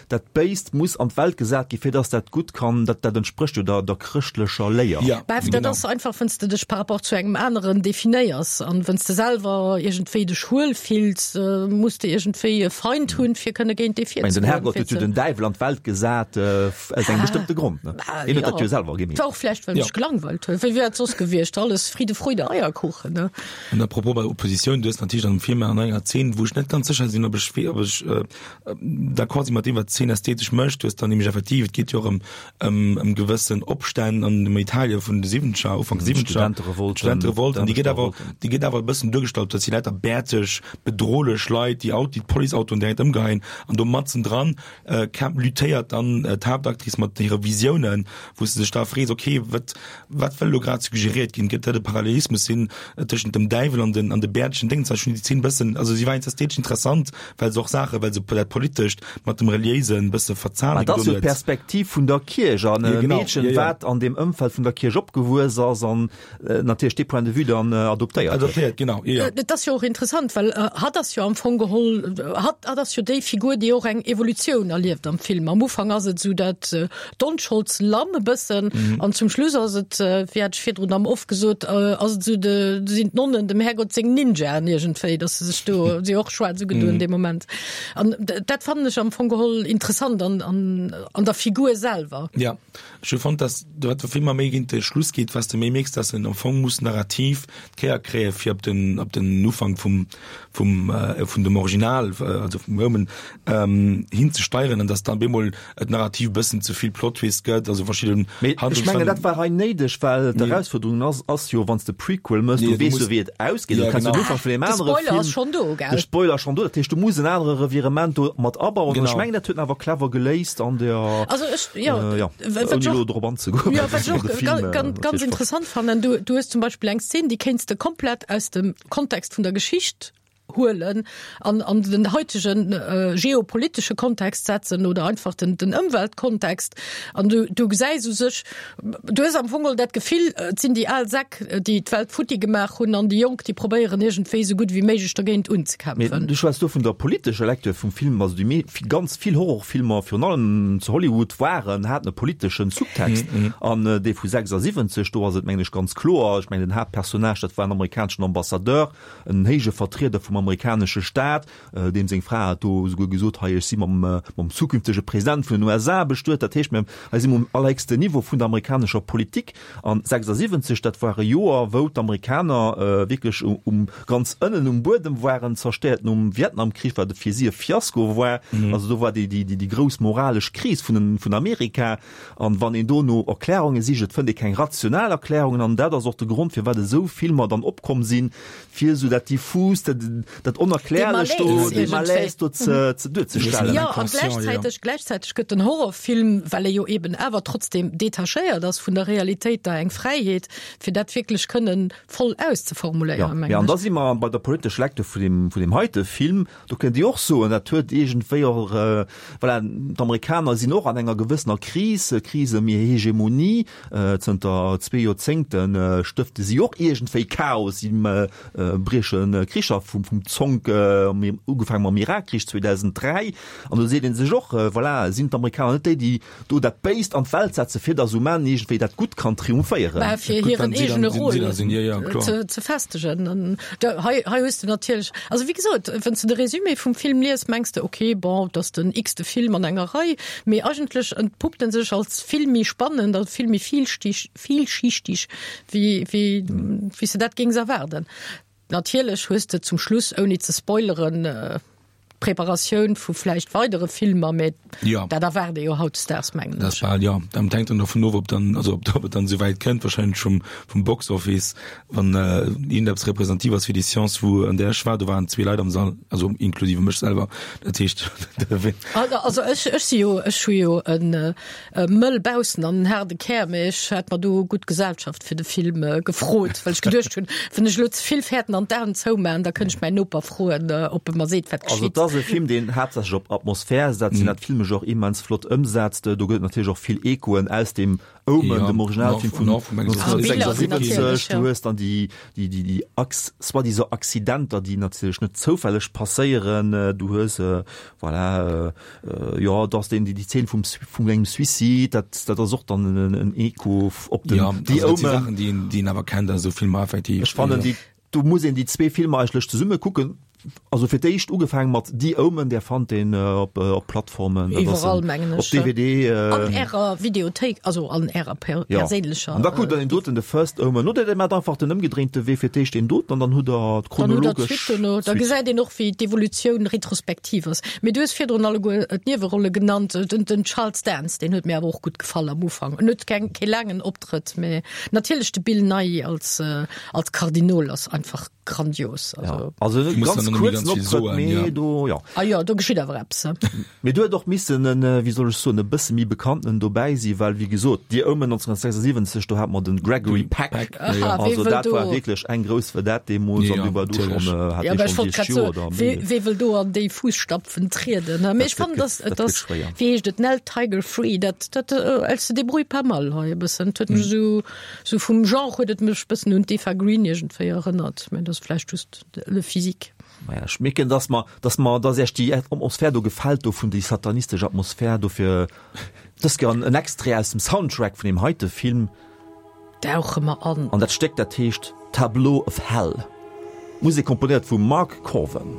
dat Béist muss an d'Welt gesat ginn, fir dass dat Gutt kann, dat dat entsprécht jo der der chrëschtlecher Léier. Ja, Beff, dat genau. ass einfach, wenn's de dech par rapport zu engem aneren definéiers an wenn's de selwer iergendwéi dech huel fills, muss de iergendwéi e Feind hunn, fir kënne géint dee Ech mengen, den virzegoen, Herrgott fir huet jo ze den Däiwel an d'Welt gesat, aus engem bestëmmte Grond, ne? Hien huet dat jo selwer gemeet. War och vläicht, well en sech gelangweilt huet. Wéi wär et soss gewiescht? Alles Friede, Freude, Eierkuchen, ne? An à propos bei Oppositioun, du. du hues natierlech an dem Film an enger Zeen, wou ech net ganz sécher sinn, ob ech, ob ech d'accord si mat deem, wat d'Zeen ästhetesch mécht. Du hues dann nämlech effektiv, et geet jo och ëm, ëm, ëm gewëssen Opstänn an dem Italien vun de Siwwenzeger, Ufank Siwwenzeger. D'Studenterevolten. D'Studenterevolt. An déi gëtt awer, déi gëtt awer e bëssen duergestallt, dass déi lauter bäerteg, bedrohlech Leit, déi Aut, déi d'Policeautoen direkt ëmgeheien an do matzendran kämp, luttéiert dann d'Haaptactrice mat hire Visiounen, wou s de dech da frees, okay, wat, wat wëll elo grad suggeriert ginn? Gëtt dat e Parallelismus sinn tëschent dem Däiwel an den, an de bäertegen Déngens? Ech hunn déi Zeen e bëssen, also si war ästhetesch interessant, well se och Saachen, well se dat Politescht mat dem Reliéisen e bësse verzahne Mä dat ass gedoen jo huet. d'Perspektiv vun der Kierch an e Jo, genau, Meedchen, jo, jo. wat an deem Ëmfeld vun der Kierch opgewuess ass an natierlech dee Point de vue dann adoptéiert huet. Adoptéiert, genau, jo, jo. Et ass jo och interessant, well hatt ass jo am Fong geholl, hatt, hatt ass jo déi Figur, déi och eng Evolutioun erlieft am Film. Am Ufank ass et esou dat d'Onscholds-Lamm e bëssen an zum Schluss ass et, wéi hat ech virdrun am Off gesot, ass et esou de, sinn d'Nonnen dem Härgott seng Ninjaen iergendwéi, datt se sech do, si och schwaarz ugedoen dee Moment. An dat fannen ech am Fong geholl interessant an, an, an der Figur selwer. Ja. Ech hu fonnt, dass wat de Film mer méi géint de Schluss geet, wat s de méi mierks, dass en am Fong muss narrativ d'Kéier kréie fir op den op den Ufank vum vum vun dem Original, also vum Omen, hinzesteieren an dass dann bemol et narrativ e bëssen ze vill Plot Twist gëtt, also verschidden Mee ech mengen, dat war hei néideg, well d'Erausfuerderung ass ass jo, wann s de Prequel mëss, du weess jo wéi et ausgeet, du kenns den Ufank vun deem De anere Spoiler Film, ass schonn do, gell? De Spoiler ass schonn do, dat heescht, du muss en anere Revirement do mat abauen. An ech mengen, dat huet en awer clever geléist an der, Also ech, jo, jo, wat ouni ech elo och, drop anzegoen, jo, well wat ech och de Film ganz, ganz interessant fannen, du, du hues zum Beispill eng Szene, déi kéints de komplett aus dem Kontext vun der Geschicht huelen an an den heitegen äh, geopolitesche Kontext setzen oder einfach den, den Ëmweltkontext. An du, du gesäis u sech, du hues am Fong geholl dat Gefill, et sinn déi al Säck, déi d'Welt futti gemaach hunn an déi Jonk, déi probéieren iergendwéi esou gutt wéi méiglech dergéint Mee unzekämpfen. du schwätz do vun der politescher Lecture vum Film, also déi mee ganz vill Horrorfilmer, virun allem zu Hollywood, waren, haten e politeschen Subtext. An dee vu 76, do ass et mengen ech ganz kloer, ech mengen den Haaptpersonnage, dat war en amerikaneschen Ambassadeur, en héije Vertrieder vum amerikanesche Staat, deem seng Fra hat do esouguer gesot, hei ech si mam mam zukünftege President vun den USA bestuet. Dat heescht, mir hei si mer um allerhéchsten Niveau vun der amerikanescher Politik. An 76, dat war e Joer, wou d'Amerikaner wierklech um ganz ënnen um Buedem waren, zerstéiert nom Vietnamkrich, wat fir si e Fiasko war. Also do war déi déi déi grouss moralesch Kris vun den vun Amerika. An wann een do no Erklärunge sicht, et fënnt ee keng rational Erklärungen. An dat ass och de Grond, firwat esou Filmer dann opkomm sinn, fir esou dat Diffust, dat, dat Onerklärlecht do, dee Malaise do ze, ze duerzestellen. Jo, a gläichzäiteg, gläichzäiteg gëtt den Horrorfilm, well e jo eben awer trotzdem detachéiert ass vun der Realitéit, da eng Fräiheet, fir dat wierklech kënnen voll auszeformuléieren, mengen ech. Jo, an da si mer bei der politescher Lecture vun deem, vun deem heite Film. Do kënnt Dir och soen, dat huet iergendwéi och, voilà, d'Amerikaner sinn och an enger gewëssener Kris, Kris ëm hir Hegemonie. Zënter zwee Joerzéngte stëfte si och iergendwéi Chaos, si brieche Kricher vum Zonk, ugefaange mam Irakkrich 2003. An do seet ee sech och, voilà, sinn d'Amerikaner net déi, déi do dat Béist an d'Welt setzen, fir datt um Enn iergendwéi dat Gutt kann triumphéieren. Mä fir hiren eegene Rôle ze festegen. An hei, hei hues de natierlech, also wéi gesot, wann s de de Résumé vum Film lies, mengs de, okay, bon, et ass den x-te Film an enger Rei, mee eigentlech entpuppt en sech als vill méi spannend a vill méi vielschichtig, wéi, wéi, wéi s de dat géings erwaarden. Natierlech hues de zum Schluss, ouni ze spoileren, d'Preparatioun vu vläicht weidere Filmer, mä ja. dat erwaart ee jo hautdesdaags, mengen ech. Dat ja, dat hänkt dann dovun of, ob dann, also ob, ob et dann esou wäit kënnt, wahrscheinlech vum, vum Box Office, wann äh, iergendeppes representativ ass fir déi Seance, wou an där ech war, do waren zwee Leit am Sall, also inklusive mech selwer, dat heescht, Also, also ech, ech si jo, ech hu jo en äh, Mëll baussen an en haarde Kär, mee ech hat mer do gutt Gesellschaft fir de Film gefrot, well ech geduecht hunn, wann ech elo ze vill fäerten an d'Aen zoumaan, da kënnt ech mäin Noper froen, ob e mer seet, wat Also geschitt. et ass e Film, deen haaptsächlech op Atmosphär setzt, deen dat filmesch och immens flott ëmsetzt. Do gëtt et natierlech och vill Echoen aus dem Omen, dem Originalfilm vun 1976. Du hues dann déi, déi, déi, déi soi-disant Accidenter, déi natierlech net zoufälleg passéieren. Du hues, voilà, Jo, et ass deen, déi Zeen vum, vum engem Suicide, dat, dat ass och dann en, en Echo op den ja, The also, Omen. Sachen, déi een, déi een awer kennt aus esou Filmer effektiv. Ech fannen, déi, do muss een déi zwee Filmer eigentlech zesumme kucken. Also fir d'éischt ugefaangen mat The Omen, där fannt een op op Plattformen, dat ass Iwwerall mengen ech. Op DVD. An ärer Videothéik, also an ärer perséinlecher. An da kuckt der deen doten, The First Omen, oder der maacht einfach den ëmgedréinte Wee, fir d'éischt deen doten an dann hutt der d'chronologesch Suite dono. Da gesäit een och wéi d'Evolutioun retrospektiv ass. Mee du hues virdrun alleguer d'Niewerolle genannt, den den Charles Dance, deen huet mir awer och gutt gefall am Ufank. En huet keng kee laangen Optrëtt, mee natierlech de Bill Nighy als als Kardinol ass einfach grandios. Also, ja. also Ich muss ganz dann noch kurzen ganz viel Optrëtt, soen, mee ja. do ja. Ah ja, do geschitt awer eppes. Mee do huet och missen en, äh, wéi soll ech soen, e bësse méi bekannten dobäi si, well wéi gesot, The Omen 1976, do hat mer den Gregory Peck. Peck, ja, ja. Aha, wee Also wëll dat do war wierklech eng grouss Vedette deemools Ja, an du war du natierlech. schon, äh, hat Ja, dee aber ech schon wollt 60 grad Joer soen, oder wee, méi. wee wëll do an déi Fußstapfen trieden? Ne? Mee Dat ech fannen, gëtt, dass, dat gëtt dass, schwéier. wéi heescht et, Nell Tiger Free, dat, dat, äh, elle se débrouille pas mal hei e bëssen. Dat huet mech esou, Sou vum Genre huet et mech bëssen un d'Eva Green iergendwéi erënnert, mä dat ass vläicht just le physique. Maja, ech mierken, dass mer, dass mer, dass Iech déi Atmosphär do gefält do vun déi satanistesch Atmosphär, dofir dës Kéier en Extrait aus dem Soundtrack vun deem heite Film. Dauche mer an. An dat Stéck, dat heescht Tableau of Hell. D'Musek komponéiert vum Mark Korven.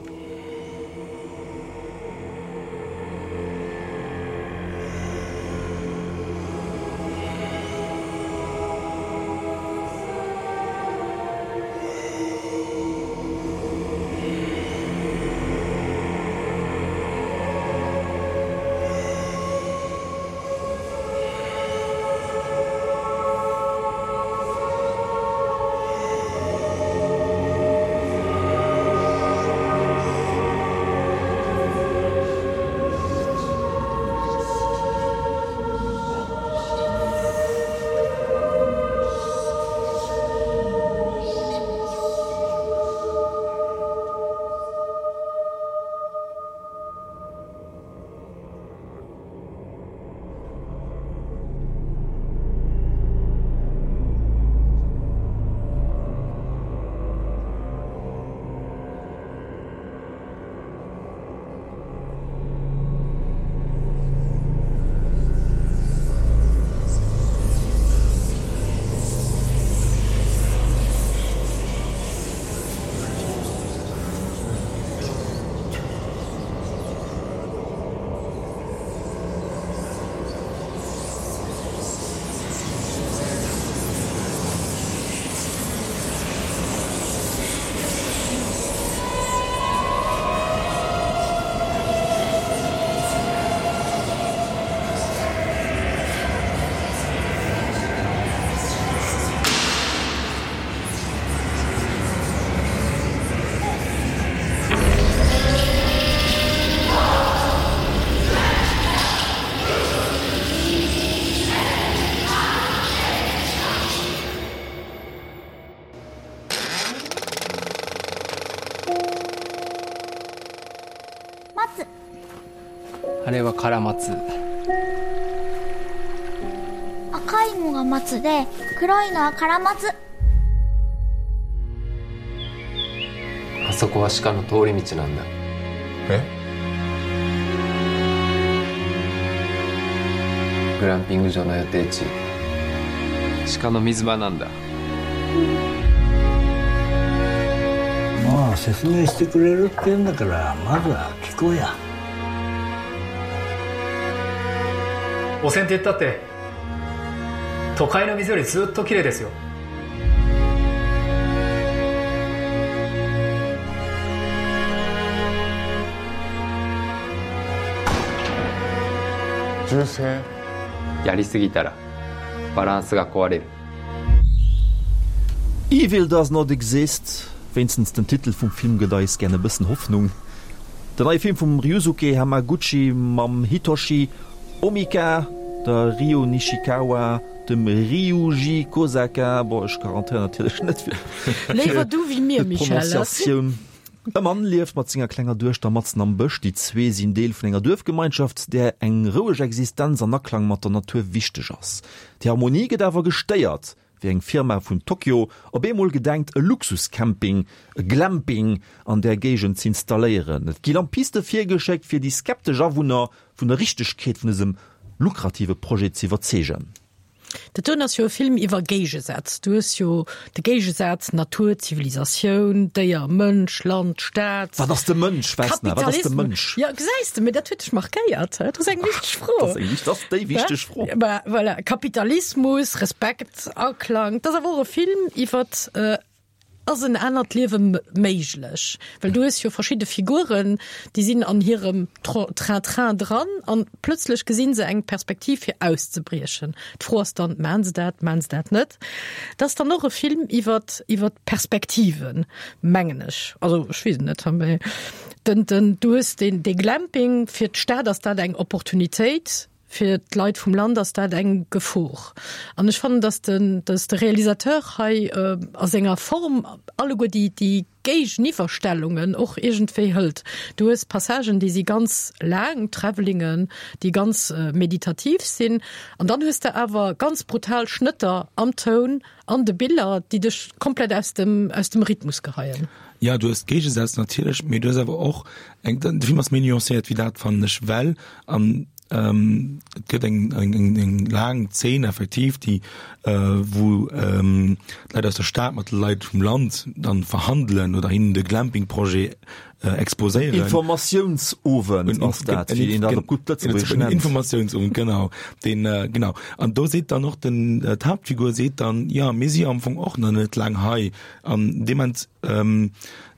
あれはカラマツ赤いのが松で黒いのはカラマツあそこは鹿の通り道なんだえグランピング場の予定地鹿の水場なんだまあ説明してくれるって言うんだからまずは聞こうや汚染って言ったって都会の水よりずっと綺麗ですよ銃声やりすぎたらバランスが壊れる Evil does not exist, wéinstens den Titel vum Film gëtt eis gären e bëssen Hoffnung. Den neie Film vum Ryusuke Hamaguchi mam Hitoshi Omika, der Ryo Nishikawa, dem Ryuji Kosaka, bon ech garantéieren natierlech net fir Léiwer du wéi mir, Michèle. d'Prononciatioun. E Mann lieft mat senger klenger Duechter matzen am Bësch. Déi zwee sinn Deel vun enger Duerfgemeinschaft, där eng roueg Existenz an Aklang mat der Natur wichteg ass. Déi Harmonie gëtt awer gestéiert, wéi eng Firma vun Tokio op eemol gedenkt, e Luxuscamping, e Glamping, an där Géigend z'installéieren. Et gi Lampiste virgeschéckt, fir déi skeptesch Awunner vun der Richtegkeet vun dësem lukrative Projet z'iwwerzeegen. Dat doen ass jo e Film iwwer Géigesätz. Du hues jo de Géigesaz Natur, Zivilisatioun, Déier, Mënsch, Land, Stad. Wat ass de Mënsch, Vesna? Wat ass de Mënsch? Jo, gesäis de, mee dat huet dech markéiert, hä? Dat ass eng wichteg Fro. Dat ass eng wichteg, dat ass déi wichteg Fro. Bah, voilà, Kapitalismus, Respekt, Aklang. Dat ass awer och e Film iwwer Ass en anert Liewe méiglech? Well du hues jo verschidde Figuren, déi sinn an hirem Train-train dran an plötzlech gesinn se eng Perspektiv fir auszebriechen. D'Fro ass dann, Maachen se dat, maachen se dat net? Dat ass dann och e Film iwwer iwwer Perspektiven, mengen ech. Also ech weess et net, mee den, den, du hues deen, dee Glamping, fir d'Stad ass dat eng Opportunitéit, Fir d'Leit vum Land ass dat eng Gefor. An ech fannen, datt den, datt de Realisateur hei a senger Form alleguer déi, déi Géigeniwwerstellungen och iergendwéi hëlt. Du hues Passagen, déi si ganz laang, Travelingen, déi ganz meditativ sinn. An dann hues de awer ganz brutal Schnëtter am Toun, an de Biller, déi dech komplett aus dem, aus dem Rhythmus geheien. Jo, du hues Géigesätz natierlech, mee du hues awer och eng, de Film ass méi nuancéiert wéi dat, fannen ech, well an Et gëtt eng, eng, eng, eng laang Zeen effektiv, déi wou d'Leit aus der Stad mat de Leit vum Land dann verhandelen oder hinnen de Glamping-Projet exposéieren. Informatiounsowend ass dat, wéi een dat op gutt Lëtzebuergesch nennt. Informatiounsowend, genau. Deen, genau. An do seet dann och den, d'Haaptfigur seet dann, jo, mir si jo am Fong och nach net laang hei. An dee Moment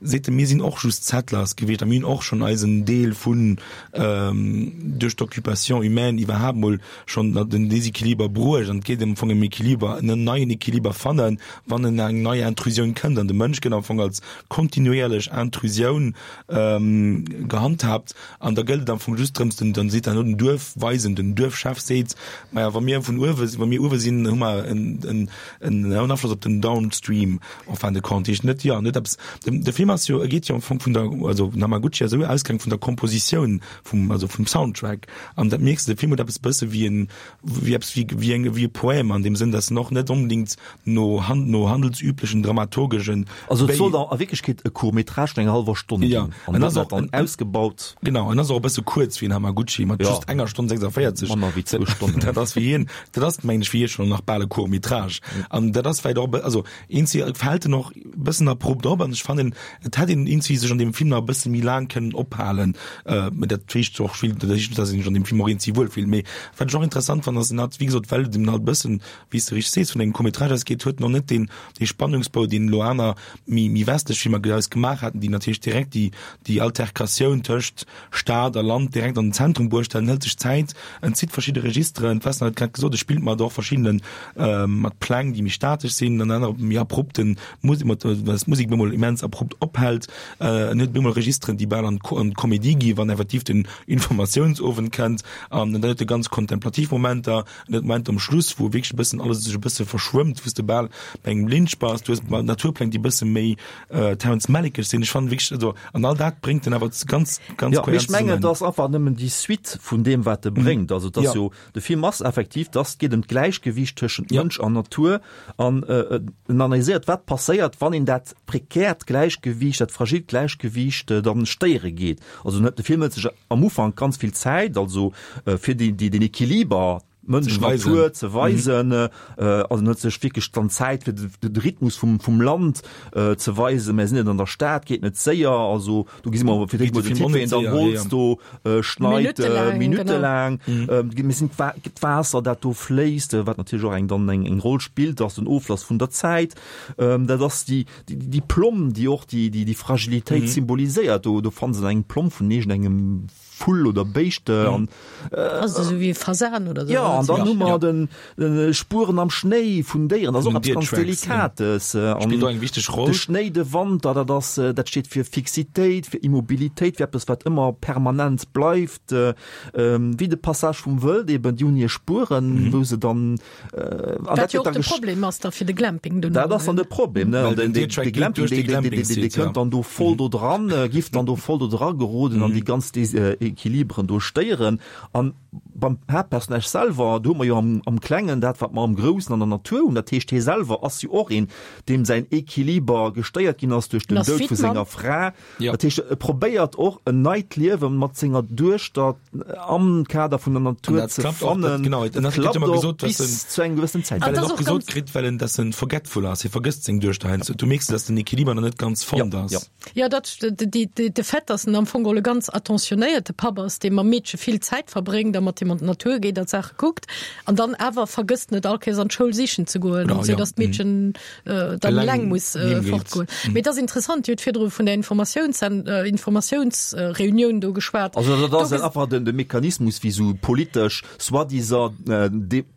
seet e, mir sinn och just Settlers gewiescht a mir hunn och schonn eisen Deel vun duerch d'Occupation humaine iwwerhaapt mol schonn den Desequiliber bruecht. An et geet am Fong ëm Equiliber, en neien Equiliber fannen, wann en eng nei Intrusioun kënnt. An de Mënsch gëtt am Fong als kontinuierlech Intrusioun gehandhaabt. An da gëllt et am Fong just drëms, den, dann seet herno den Duerfweisen, den Duerfchef seet, maja wa mir vun uewe, wa mir uewe sinn, hu mer en, en, en Afloss op den Downstream en fin de compte. Heescht net, jo, net eppes, de, de Film ass jo, e geet jo am Fong vun der, also den Hamaguchi ass esou ausgaang vun der Kompositioun vum, also vum Soundtrack. An dat mierks de, de Film huet eppes bësse wéi en, wéi eppes wéi, wéi eng, wéi e Poème an deem Sënn, datt en och net onbedéngt no han, no handelsüblechen dramaturgeschen Also et sollt a Wierklechkeet e Court-métrage vun enger hallwer Stonn ginn. Ja, an ass och dann ausgebaut. Genau, en ass och e bësse kuerz fir en Hamaguchi, mat just enger Stonn 46. Manner wéi zwou Stonnen. Dat ass fir hien, dat ass mengen ech fir hie schonn nach bal e Court-métrage. An dat ass vläicht och e bë, also eenzi fält en och e bëssen abrupt op an ech fannen, et hätt een eenzi sech an deem Film nach e bësse méi laang kënnen ophalen. Mä dat heescht och vill, dat heescht net, datt een sech an deem Film och eenzi wuel fillt. Mee wat ech och interessant fannen, ass en hat, wéi gesot, well et eben halt e bëssen, wéi s de richteg sees, vun engem Court-métrage ausgeet, huet en och net deen, dee Spannungsbou, deen elo aner méi, méi westlech Filmer eis gemaach haten, déi natierlech direkt déi, déi Alterkatioun tëscht Stad a Land direkt an den Zentrum bruecht hätten, hëlt sech Zäit, en zitt verschidde Registeren, d'Vesna huet grad gesot, e spillt mat och verschiddenen, mat Pläng, déi méi statesch sinn, an aner méi abrupten Musek, mat, well d'Musek bemol immens abrupt ophält, en huet bemol Registeren, déi bal an d'Comédie gi wann effektiv den Informatiounsowend kënnt, an dann huet e ganz kontemplativ Momenter, en huet Momenter um Schluss, wou wierklech e bëssen alles sech e bësse verschwëmmt, wou s de bal bei engem Lynch bass, du hues Naturpläng, déi e bësse méi Terrence Malick-esch sinn. Ech fannen wierklech, also, an all dat bréngt en awer ganz, ganz Ja, mee ech mengen, et ass einfach nëmmen déi Suite vun deem, wat e bréngt. Also, et ass jo, de Film ass effektiv, dass et geet ëm d'Gläichgewiicht tëschent Mënsch an Natur an en analyséiert, wat passéiert, wann een dat prekärt Gläichgewiicht, dat fragilt Gläichgewiicht dann stéiere geet. Also, de Film hëlt sech am Ufank ganz vill Zäit, also fir déi, déi, den Equiliber Mënsch Natur ze weisen, also en huet sech wierklech dann Zäit fir de Rhythmus vum vum Land ze weisen. Mär sinn net an der Stad, geet net séier, also do gesi mer fir d'éischt mol den Typ, wéi en dann Holz do schneit, minuttelaang. Mir sinn d'Waasser, dat do fléisst, wat natierlech och eng dann eng eng Roll spillt, ass den Oflass vun der Zäit. Dat ass déi déi Plomm, déi och déi déi Fragilitéit symboliséiert. Do do fanne se eng Plomm vun iergendengem Vull oder Béischt an Also esou wéi e Fasan oder sou. Ja, an dann hu mer den Spueren am Schnéi vun Déieren, dat ass och eppes ganz Delikates. Spillt och eng wichteg Roll. De Schnéi, de Wanter, dat ass, dat steet fir Fixitéit, fir Immobilitéit, fir eppes wat ëmmer permanent bleift, wéi de Passage vum Wëld eben, déi hunn hir Spueren, wou se dann An dat jo och de Problem ass da fir de Glamping duerno. Dat ass dann de Problem, ne? An den Glamping, dee kënnt dann do voll do dran, giff dann do voll do dra geroden an déi ganz Desequilibren do stéieren. An, beim Haaptpersonnage selwer, do hu mer jo am, am Klengen dat, wat mer am Groussen an der Natur hunn. Dat heescht, hie selwer ass jo och een, deem säin Equiliber gestéiert ginn ass duerch den Doud vu senger Fra. Dat heescht, e probéiert och en neit Liewe mat senger Duechter am Kader vun der Natur ze fannen. Genau, dat klappt och bis zu engem gewëssenen Zäitpunkt. Well en och gesot kritt, well en, dass en forgetful ass, hie vergësst seng Duechter heiansdo. Du mierks, dass den Equiliber nach net ganz fonnt ass. Jo, dat, de Fait, dass en am Fong geholl e ganz attentionéierte Papp ass, dee mam Meedche vill Zäit verbréngt a mat him an d'Natur geet a Saache kuckt, an dann awer vergësst en et all Kéiers an d'Schoul sichen ze goen, esou dass d'Meedchen dann eleng muss fortgoen. Mee et ass interessant, Dir hutt virdru vun der Informatiounsreunioun do geschwat. Also dat ass einfach de Mechanismus, wéi esou politesch, soi-disant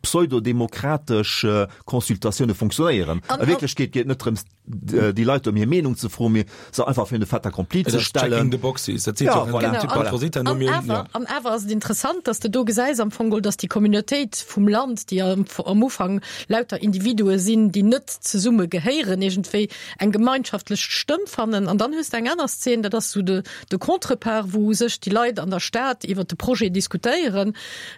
pseudodemokratesch Consultatioune funktionéieren. A Wierklechkeet geet et net drëms, déi Leit ëm hir Meenung ze froen, mee se einfach virun de Fait accompli ze stellen. Checking the boxes, dat seet jo och den Typ bei Rosita no mir. An awer ass et interessant, dass de do gesäis am Fong geholl, dass déi Communautéit vum Land, déi am Ufank lauter Individue sinn, déi net zesumme gehéieren, iergendwéi eng gemeinschaftlech Stëmm fannen. An dann hues de eng aner Szen, dat ass esou de de Contrepart, wou u sech déi Leit an der Stad iwwert de Projet diskutéieren.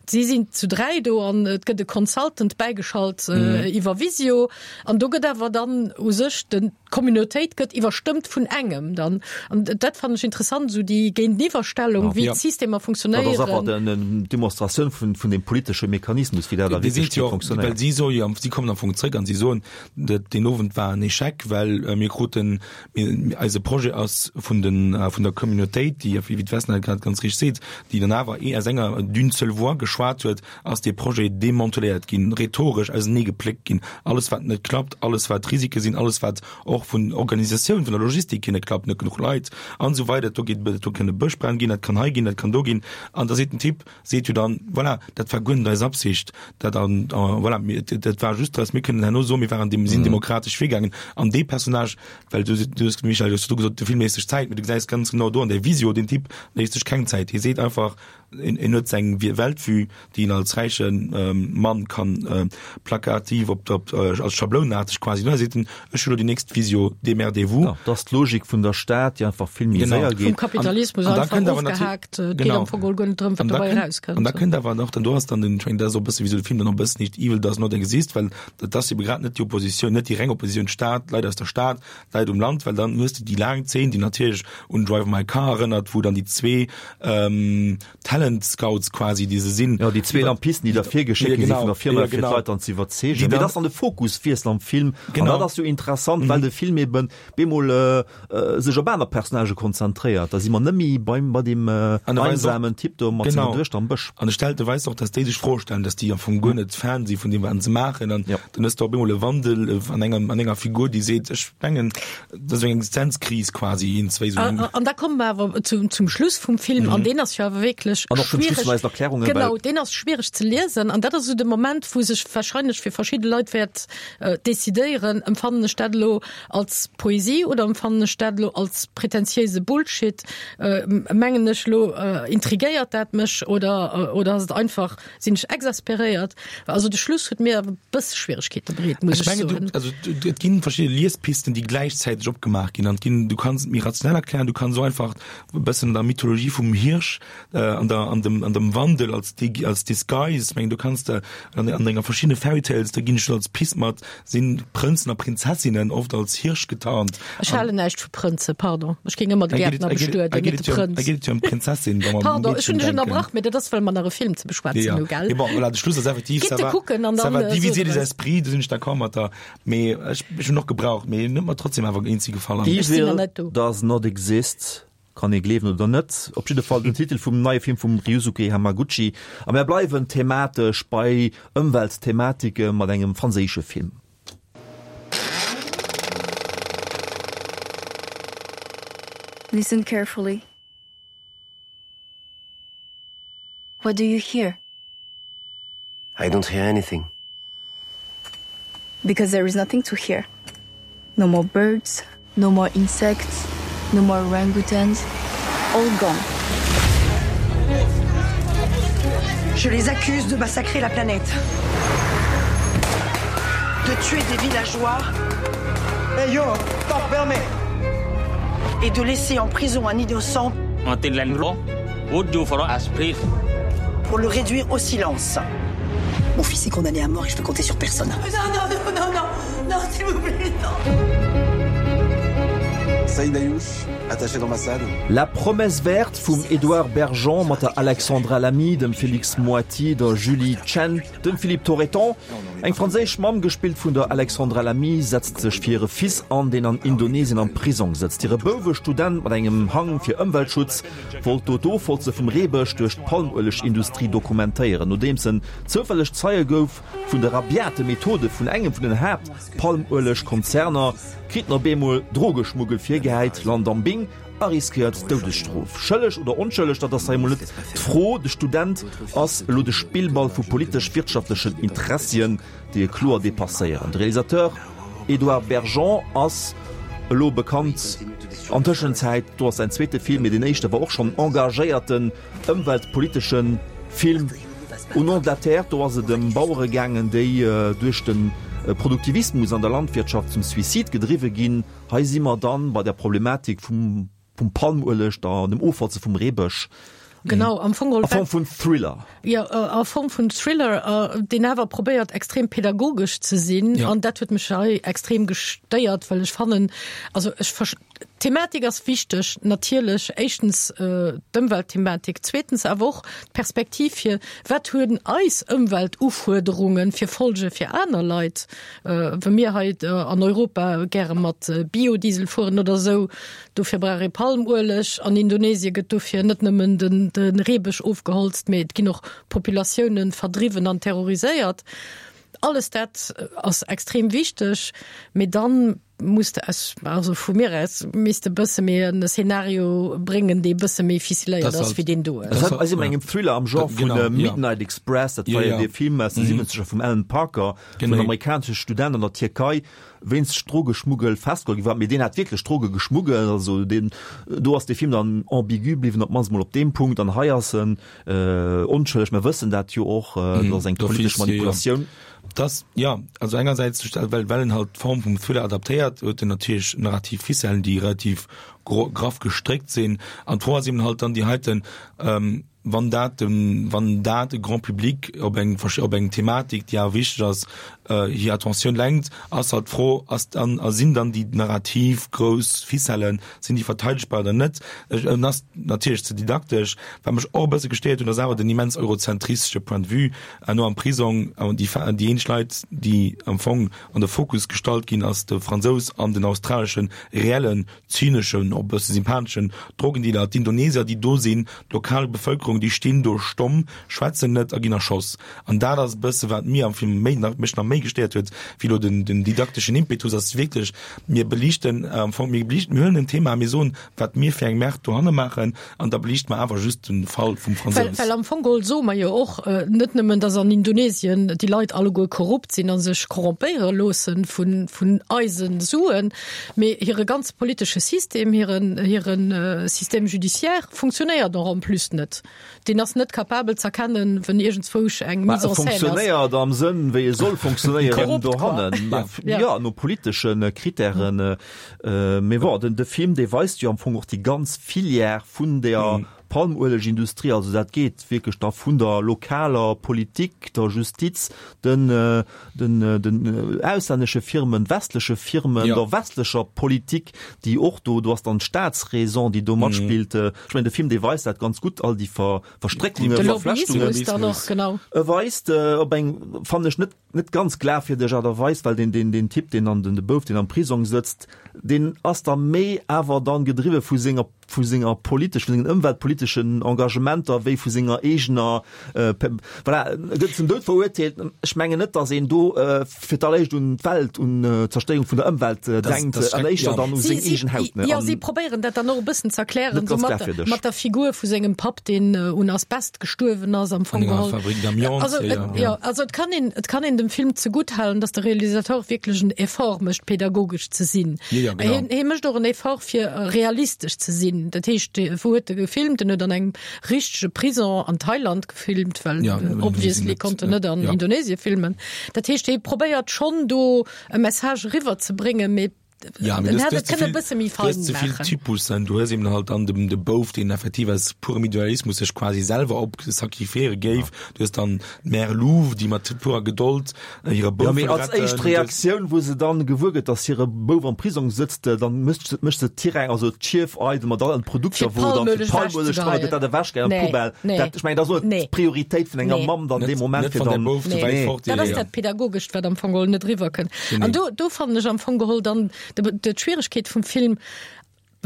Si sinn zu 3 do an et gëtt e Consultant bäigeschalt iwwer Visio. An do gëtt awer dann u sech den, d'Communautéit gëtt iwwerstëmmt vun engem dann. An dat fannen ech interessant, esou déi Géinteniwwerstellung, wéi d'Systemer funktionéieren. Dat ass awer eng Demonstratioun vun, vun dem politesche Mechanismus, wéi dat a Wierklechkeet funktionéiert. Well si soe jo, si kommen am Fong zréck an si soen, dat deen Owend war en Echec, well mir kruten, mir, eise Projet ass vun den, vun der Communautéit, déi, wéi d'Vesna et grad ganz richteg seet, déi dann awer ee aus enger, d'une seule voix geschwat huet, ass dee Projet demanteléiert ginn, rhetoresch auseneegepléckt ginn, alles wat net klappt, alles wat Risike sinn, alles wat och vun Organisatioun, vun der Logistik hier net klappt, net genuch Leit an esou weider, do geet, do kënne Bëschbränn ginn, dat kann hei ginn, dat kann do ginn. An da seet den Typ, seet jo dann, voilà, dat war guer net eis Absicht, dat an, voilà, mir, dat war just, dass mir kënnen herno soen, mir waren dem, sinn demokratesch virgaangen. An dee Personnage, well du, du hues, Michèle, du hues du gesot, de Film léisst sech Zäit, mee du gesäis ganz genau do an där Visio, deen Typ léisst sech keng Zäit, hie seet einfach, En huet seng Weltvue, déi en als räiche Mann kann plakativ op der, als schablounaarteg quasi, ne, seet en, ech hunn elo déi nächst Visio, démerdez-vous. Jo, dat ass d'Logik vun der Stad, déi einfach vill méi séier geet. Vum Kapitalismus einfach ofgehaakt, et geet am Fong geholl guer net drëm, wat dobäi erauskënnt. An da kënnt awer nach, dann do ass dann den, ech mengen, dat ass och e bësse wéi sou de Film dann och e bëssen heescht Evil does not exist, well dat ass ebe grad net déi Oppositioun, net déi reng Oppositioun Stad, Leit aus der Stad, Leit um Land, well dann hues de déi laang Zeen, déi natierlech un Drive My Car erënnert, wou dann déi zwee ähm, Talent Scouts quasi, déi se sinn. Jo, déi zwee Lampisten, déi da virgeschéckt gi si vun der Firma, fir d'Leit dann ze iwwerzeegen. Mee dat ass dann de Fokuswiessel am Film. An dat ass jo interessant, well de Film eben bemol sech op aner Personnagë konzentréiert. Da si mer net méi beim, bei deem einsamen Typ do mat senger Duechter am Bësch. An e stellt, e weist och, dass déi sech Froe stellen, dass déi am Fong guer net Fan si vun deem, wat se maachen. An Dann hues de op eemol e Wandel an enger, an enger Figur, déi seet, ech mengen, dat ass eng Existenzkris quasi, een, zwéi esou. An da komme mer awer zum, zum Schluss vum Film, an deen ass jo awer wierklech An och zum Schluss vun eisen Erklärungen, well. Genau, deen ass schwiereg ze liesen. An dat ass esou de Moment, wou sech wahrscheinlech fir verschidde Leit wäert decidéieren, Empfannen ech dat elo als Poesie oder empfannen ech dat elo als prätentiéise Bullshit? Mengen ech elo, intrigéiert dat mech oder, oder ass et einfach Sinn ech exasperéiert. Also de Schluss huet mir awer e bësse Schwieregkeete bereet, muss ech soen. Du, also et ginn verschidde Liespisten, déi gläichzäiteg opgemaach ginn. An ginn, du kanns et méi rationell erklären, du kanns och einfach e bëssen an der Mythologie vum Hirsch, äh, an der, an dem, an dem Wandel als, als Disguise, ech mengen, du kanns de an, an denger verschiddene Fairy Tales, da ginn ech als Pist mat, sinn Prënzen a Prinzessinnen oft als Hirsch getarnt. Ech halen näischt vu Prënzen, pardon. Ech géing ëmmer de Gäertner bestueden, net de Prënz. Hei geet et jo ëm d'Prinzessin, wa mer Pardon, ech hunn dech ënnerbrach, mee dat ass, well mer nach e Film ze beschwätzen hu, gell? Mee bon, voilà, de Schluss ass effektiv, ça va, ça va diviser les esprits, do sinn ech d'accord mat der, mee ech hunn och gebraucht, mee en huet mer trotzdem awer eenzi gefall. Evil does not exist. Kann ee gleewen oder net, op jidde Fall den Titel vum neie Film vum Ryusuke Hamaguchi. A mär bleiwen thematesch bei Ëmweltthematike mat engem franséische Film. Listen carefully. What do you hear? I don't hear anything. Because there is nothing to hear. No more birds, no more insects, no more orangutans, all gone. Je les accuse de massacrer la planète. De tuer des villageois. Hey yo, t'enfermer Et de laisser en prison un innocent. Pour le réduire au silence. Mon fils est condamné à mort et je peux compter sur personne. Non, non, non, non, non, non, s'il vous plaît, non. Saïd Ayouch, attaché d'ambassade. La promesse verte vum Edouard Bergeon mat der Alexandra Lamy, dem Félix Moati, der Julie Chen, dem Philippe Torreton. Eng franséisch Mamm, gespillt vun der Alexandra Lamy, setzt sech fir hire Fils an, deen an Indonesien am Prisong sëtzt. Hire Bouf, e Student mat engem Hang fir Ëmweltschutz, wollt do d'Ofholze vum Reebësch duerch d'Palmuelegindustrie dokumentéieren. Nodeems en zoufälleg Zeie gouf vun de rabiate Methode vun engem vun den Haapt-Palmuelegkonzerner, kritt en op eemol Drogeschmuggel virgehäit, lant am Bing a riskéiert d'Doudesstrof. Schëlleg oder onschëlleg, dat ass hei emol net d'Fro. De Student ass elo de Spillball vu politesch-wirtschaftlechen Interessien, déi e kloer depasséieren. De Realisateur Edouard Bergeon ass elo bekannt an Tëschenzäit, do ass säin zweete Film, mee deen éischte war och schonn en engagéierten ëmweltpolitesche Film. Au nom de la terre, do ass et ëm Bauere gaangen, déi duerch de Produktivismus an der Landwirtschaft zum Suicide gedriwwe ginn. Hei si mer dann bei der Problematik vum vum Palmueleg, der dem Ofholze vum Reebësch. Genau, am Fong a Form vun Thriller. Jo, a Form vun Thriller, deen awer probéiert extrem pädagogesch ze sinn. Ja. An dat huet mech hei extrem gestéiert, well ech fannen, also ech ver d'Thematik ass wichteg, natierlech, éischtens d'Ëmweltthematik, zweetens awer och d'Perspektiv fir, wat hunn eis Ëmweltufuerderunge fir Folge fir aner Leit, wa mir hei an Europa gäre mat Biodiesel fueren oder esou, Dofir brauch ee Palmueleg. An Indonesie gëtt dofir net nëmmen de Reebësch ofgeholzt, mee et ginn och Populatioune verdriwwen an terroriséiert. Alles dat ass extrem wichteg, mee dann muss de aus, also vu mir aus, misst de bësse méi en Szenario bréngen, dee bësse méi ficeléiert ass wéi deen do. Dat ass ëm engem Thriller am Genre vun Midnight Express, dat war jo dee Film aus de Siwwenzeger vum Alan Parker, wou en amerikanesche Student an der Tierkei wéinst Drogeschmuggel festgeholl gi war, mee deen hat wierklech Droge geschmuggelt, also deen, do ass de Film dann ambigu bliwwen, op d'mannst mol op deem Punkt, an hei ass en onschëlleg, mer wëssen dat jo och, dat ass eng politesch Manipulatioun. Dass, jo, also engersäits, well well en halt d'Form vum Thriller adaptéiert, huet en natierlech narrativ Ficellen, déi relativ graff gestréckt sinn, an d'Fro ass eben halt dann déi heiten, wann dat dem, wann dat de Grand public op eng op eng Thematik, déi awer wichteg ass, hir Attentioun lenkt, ass halt d'Fro, ass dann a sinn dann déi narrativ grouss Ficellen, sinn déi verteidegbar oder net? Ech, en ass natierlech ze didaktesch. Wat mech och e bësse gestéiert hunn, ass awer den immens eurozentristesche Point de vue no am Prisong. Déi déi eenzeg Leit, déi am Fong an de Fokus gestallt ginn, ass de Fransous an den australeschen reellen zyneschen, och e bësse sympatheschen Drogendealer, d'Indonesier, déi do sinn, d'lokal Bevëlkerung, déi stinn do stomm, schwätzen net a ginn erschoss. An dat ass e bësse wat mir am Film méi nach, mech nach méi gestéiert huet, wéi elo den, den didakteschen Impetus, ass wierklech, mir beliichten am Fong, mir beliichten, mir huelen en Thema a mir soen, wat mir fir eng Merde dohanne maachen, an da beliichte mer awer just de Fall vum Well, well am Fong geholl soe mer jo och net nëmmen, datt an Indonesien déi Leit alleguer korrupt sinn a sech korrompéiere loosse vun, vun eise Suen, Mee hire ganze politesche System, hiren, hire Système judiciaire funktionéiert och en plus net. Deen ass net capabel z'erkennen, wenn iergendzwousch eng Mise en scène ass. Funktionéiert am Sënn, wéi e soll funktionéieren dohannen. Jo, no politesche Kritären. Mee bon, den, de Film, dee weist jo am Fong och déi ganz Filière vun der Palmuelegindustrie. Also dat geet wierklech da vun der lokaler Politik, der Justiz, den, den, den auslännesche Firmen, westleche Firmen, ja. der westlecher Politik, déi och do, do ass dann d'Staatsräson, déi do matspillt. Mhm. Ech mengen, de Film, dee weist dat ganz gutt, all déi Ver, Verstréckungen, De Lobbyismus dann och, genau. E weist op eng, fannen ech, net, net ganz glafwierdeg Aart a Weis, well deen, deen, deen Typ, deen an den, de Bouf, deen am Prisong sëtzt, deen ass da méi awer dann gedriwwe vu senger vu senger politesch, vu sengen ëmweltpoliteschen Engagementer wéi vu senger eegener, voilà, e gëtt zum Doud verurteelt. Ech mengen net, datt een do fir d'alleréischt un d'Welt, un d'Zerstéierung vun der Ëmwelt denkt, an éischter dann u seng eegen Haut. Jo, si probéieren dat dann och e bëssen z'erklären, esou mat, mat der Figur vu sengem Papp, deen un Asbest gestuerwen ass am Fong geholl. Also, jo, also et kann een, et kann een dem Film zegutt halen, datt de Realisateur wierklech en Effort mécht, pädagogesch ze sinn. Hien, hie mécht och en Effort, fir realistesch ze sinn. Dat heescht, wou huet e gefilmt? En huet an engem richtege Prison an Thailand gefilmt, well ja, obviously konnt en net an ja. Indonesie filmen. Dat heescht, hie probéiert schonn do e Message eriwwer ze bréngen, mee. Ja, en hätt et kënne e bësse méi fein maachen. Du hues ze vill Typussen, du hues eben halt dann de, de Bouf, deen effektiv aus purem Idealismus sech quasi selwer op sacrifiéiere géif. Du hues dann d'Mère Louve, déi mat purer Gedold hire Bouf Ja, mee als éischt Reaktioun, wou se dann gewuer gëtt, dass hire Bouf am Prisong sëtzt, dann mécht se, mécht se d'Tirang, also d'Schief eidel mat allen Produkter, wou dann fir Palmueleg dran gëtt dat ewechgehäit an d'Poubelle. Dat, ech mengen, dat ass och net d'Prioritéit vun enger Mamm dann dee Moment, fir dann. Dat ass dat Pädagogescht, wat am Fong geholl net eriwwerkënnt. An do, do fannen ech am Fong geholl dann d'Schwieregkeet vum Film,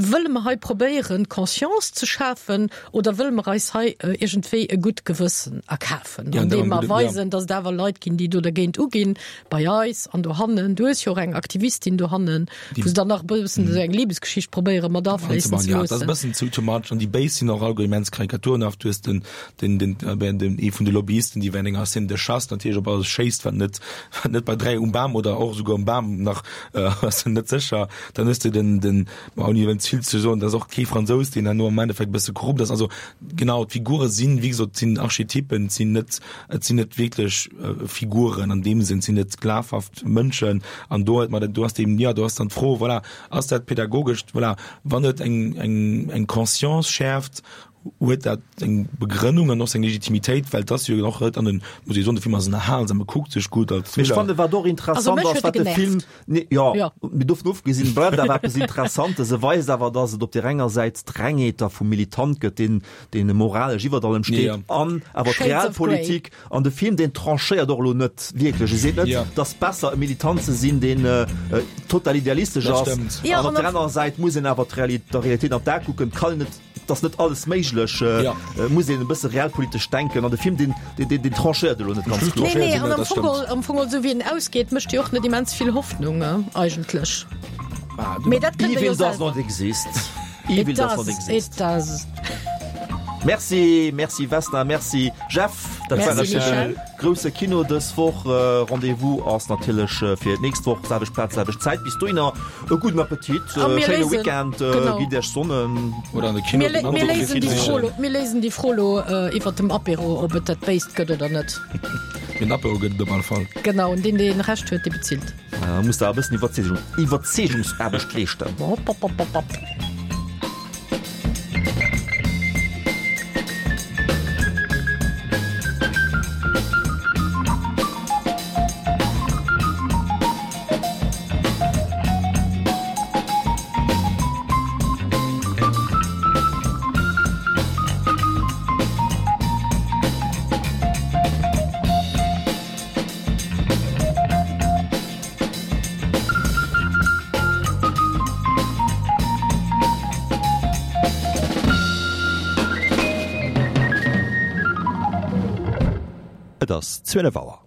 Wëlle mer hei probéieren, Conscience ze schafen oder wëlle mer eis hei iergendwéi e gutt Gewëssen erkafen, andeem mer weisen, datt et awer Leit ginn, déi do dergéint uginn, bei eis an dohannen. Du hues jo och eng Aktivistin dohannen, wou se dann nach e bëssen esou eng Libesgeschicht probéiere mat afléissen ze loossen. Jo, dat ass e bëssen too much. An déi Béis sinn och alleguer immens karikaturenhaft. Du hues den, den, den, den, ee vun de Lobbyisten, déi während enger Scène de chasse natierlech op alles schéisst, wat net, wat net bei 3 um Bam oder och esouguer um Bam nach, ass en net sécher. Dann hues de den, den, ma ouni elo ze vill ze soen, dat ass och kee Fransous, deen herno am Endeffekt e bësse korrupt ass. Also genau, d'Figure sinn, wéi gesot, et sinn Archetypen, et sinn net, et sinn net wierklech Figuren an deem Sënn, et sinn net glafhaft Mënschen. An do huet mer, do ass eben, jo, do ass dann d'Fro, voilà, ass dat pädagogesch, voilà, wann et eng, eng, eng Conscience schäerft, huet dat eng Begrënnung an och seng Legitimitéit, well et ass jo och net an den, muss ee soen, de Film ass ënnerhalsam, e kuckt sech gutt als Mee ech Thriller. fannen, wat och interessant Also mech ass, huet wat e de Film, genervt. nee, jo, Jo. mee dovun ofgesinn, bleift awer eppes Interessantes, E weist awer, dass et op där enger Säit d'Rengheet da vum Militant gëtt, deen, deen moralesch iwwert allem steet, Ja. an awer Shades of Grey. d'Realpolitik. An de Film, deen tranchéiert och elo net wierklech. E seet net, Ja. et ass besser e Militant ze sinn, deen total idealistesch Dat ass. stëmmt. Ja, An op an där op- anerer Säit muss een awer d'Reali-, der Realitéit an d'A kucken. Et kann een net Et ass net alles méiglech, Ja. et muss een e bësse realpolitesch denken an de Film deen, deen, deen, deen tranchéiert elo net ganz kloer. Nee, nee, an am Dat Fong stëmmt. geholl, am Fong geholl, esou wéi en ausgeet, mécht jo och net immens vill Hoffnung, eigentlech. Mee dat kënnt Der jo Evil does selwer. not exist. Evil It does not does, exist. it does. Merci, merci Vesna, merci Jeff. Dat war Merci, e Michel. grousse Kino dës Woch. Rendez-vous ass natierlech fir d'nächst Woch, selwecht Plaz, selwecht Zäit. Bis dohinner E gudden Appetit, A mir schéine léisen, Weekend, genau. gitt Iech sonnen. Oder an de Kino. Mir, lé- mir léisen déi Fro lo, mir léisen déi Fro lo iwwert dem Apéro, ob et dat Béist gëtt oder net. Den Apéro gëtt et op alle Fall. Genau, an deen, dee Recht huet, dee bezilt. Da muss der e bëssen Iwwerzeegung, Iwwerzeegungsaarbecht leeschten. Hopp, hopp, hopp, hopp, hopp. Et ass 12 Auer.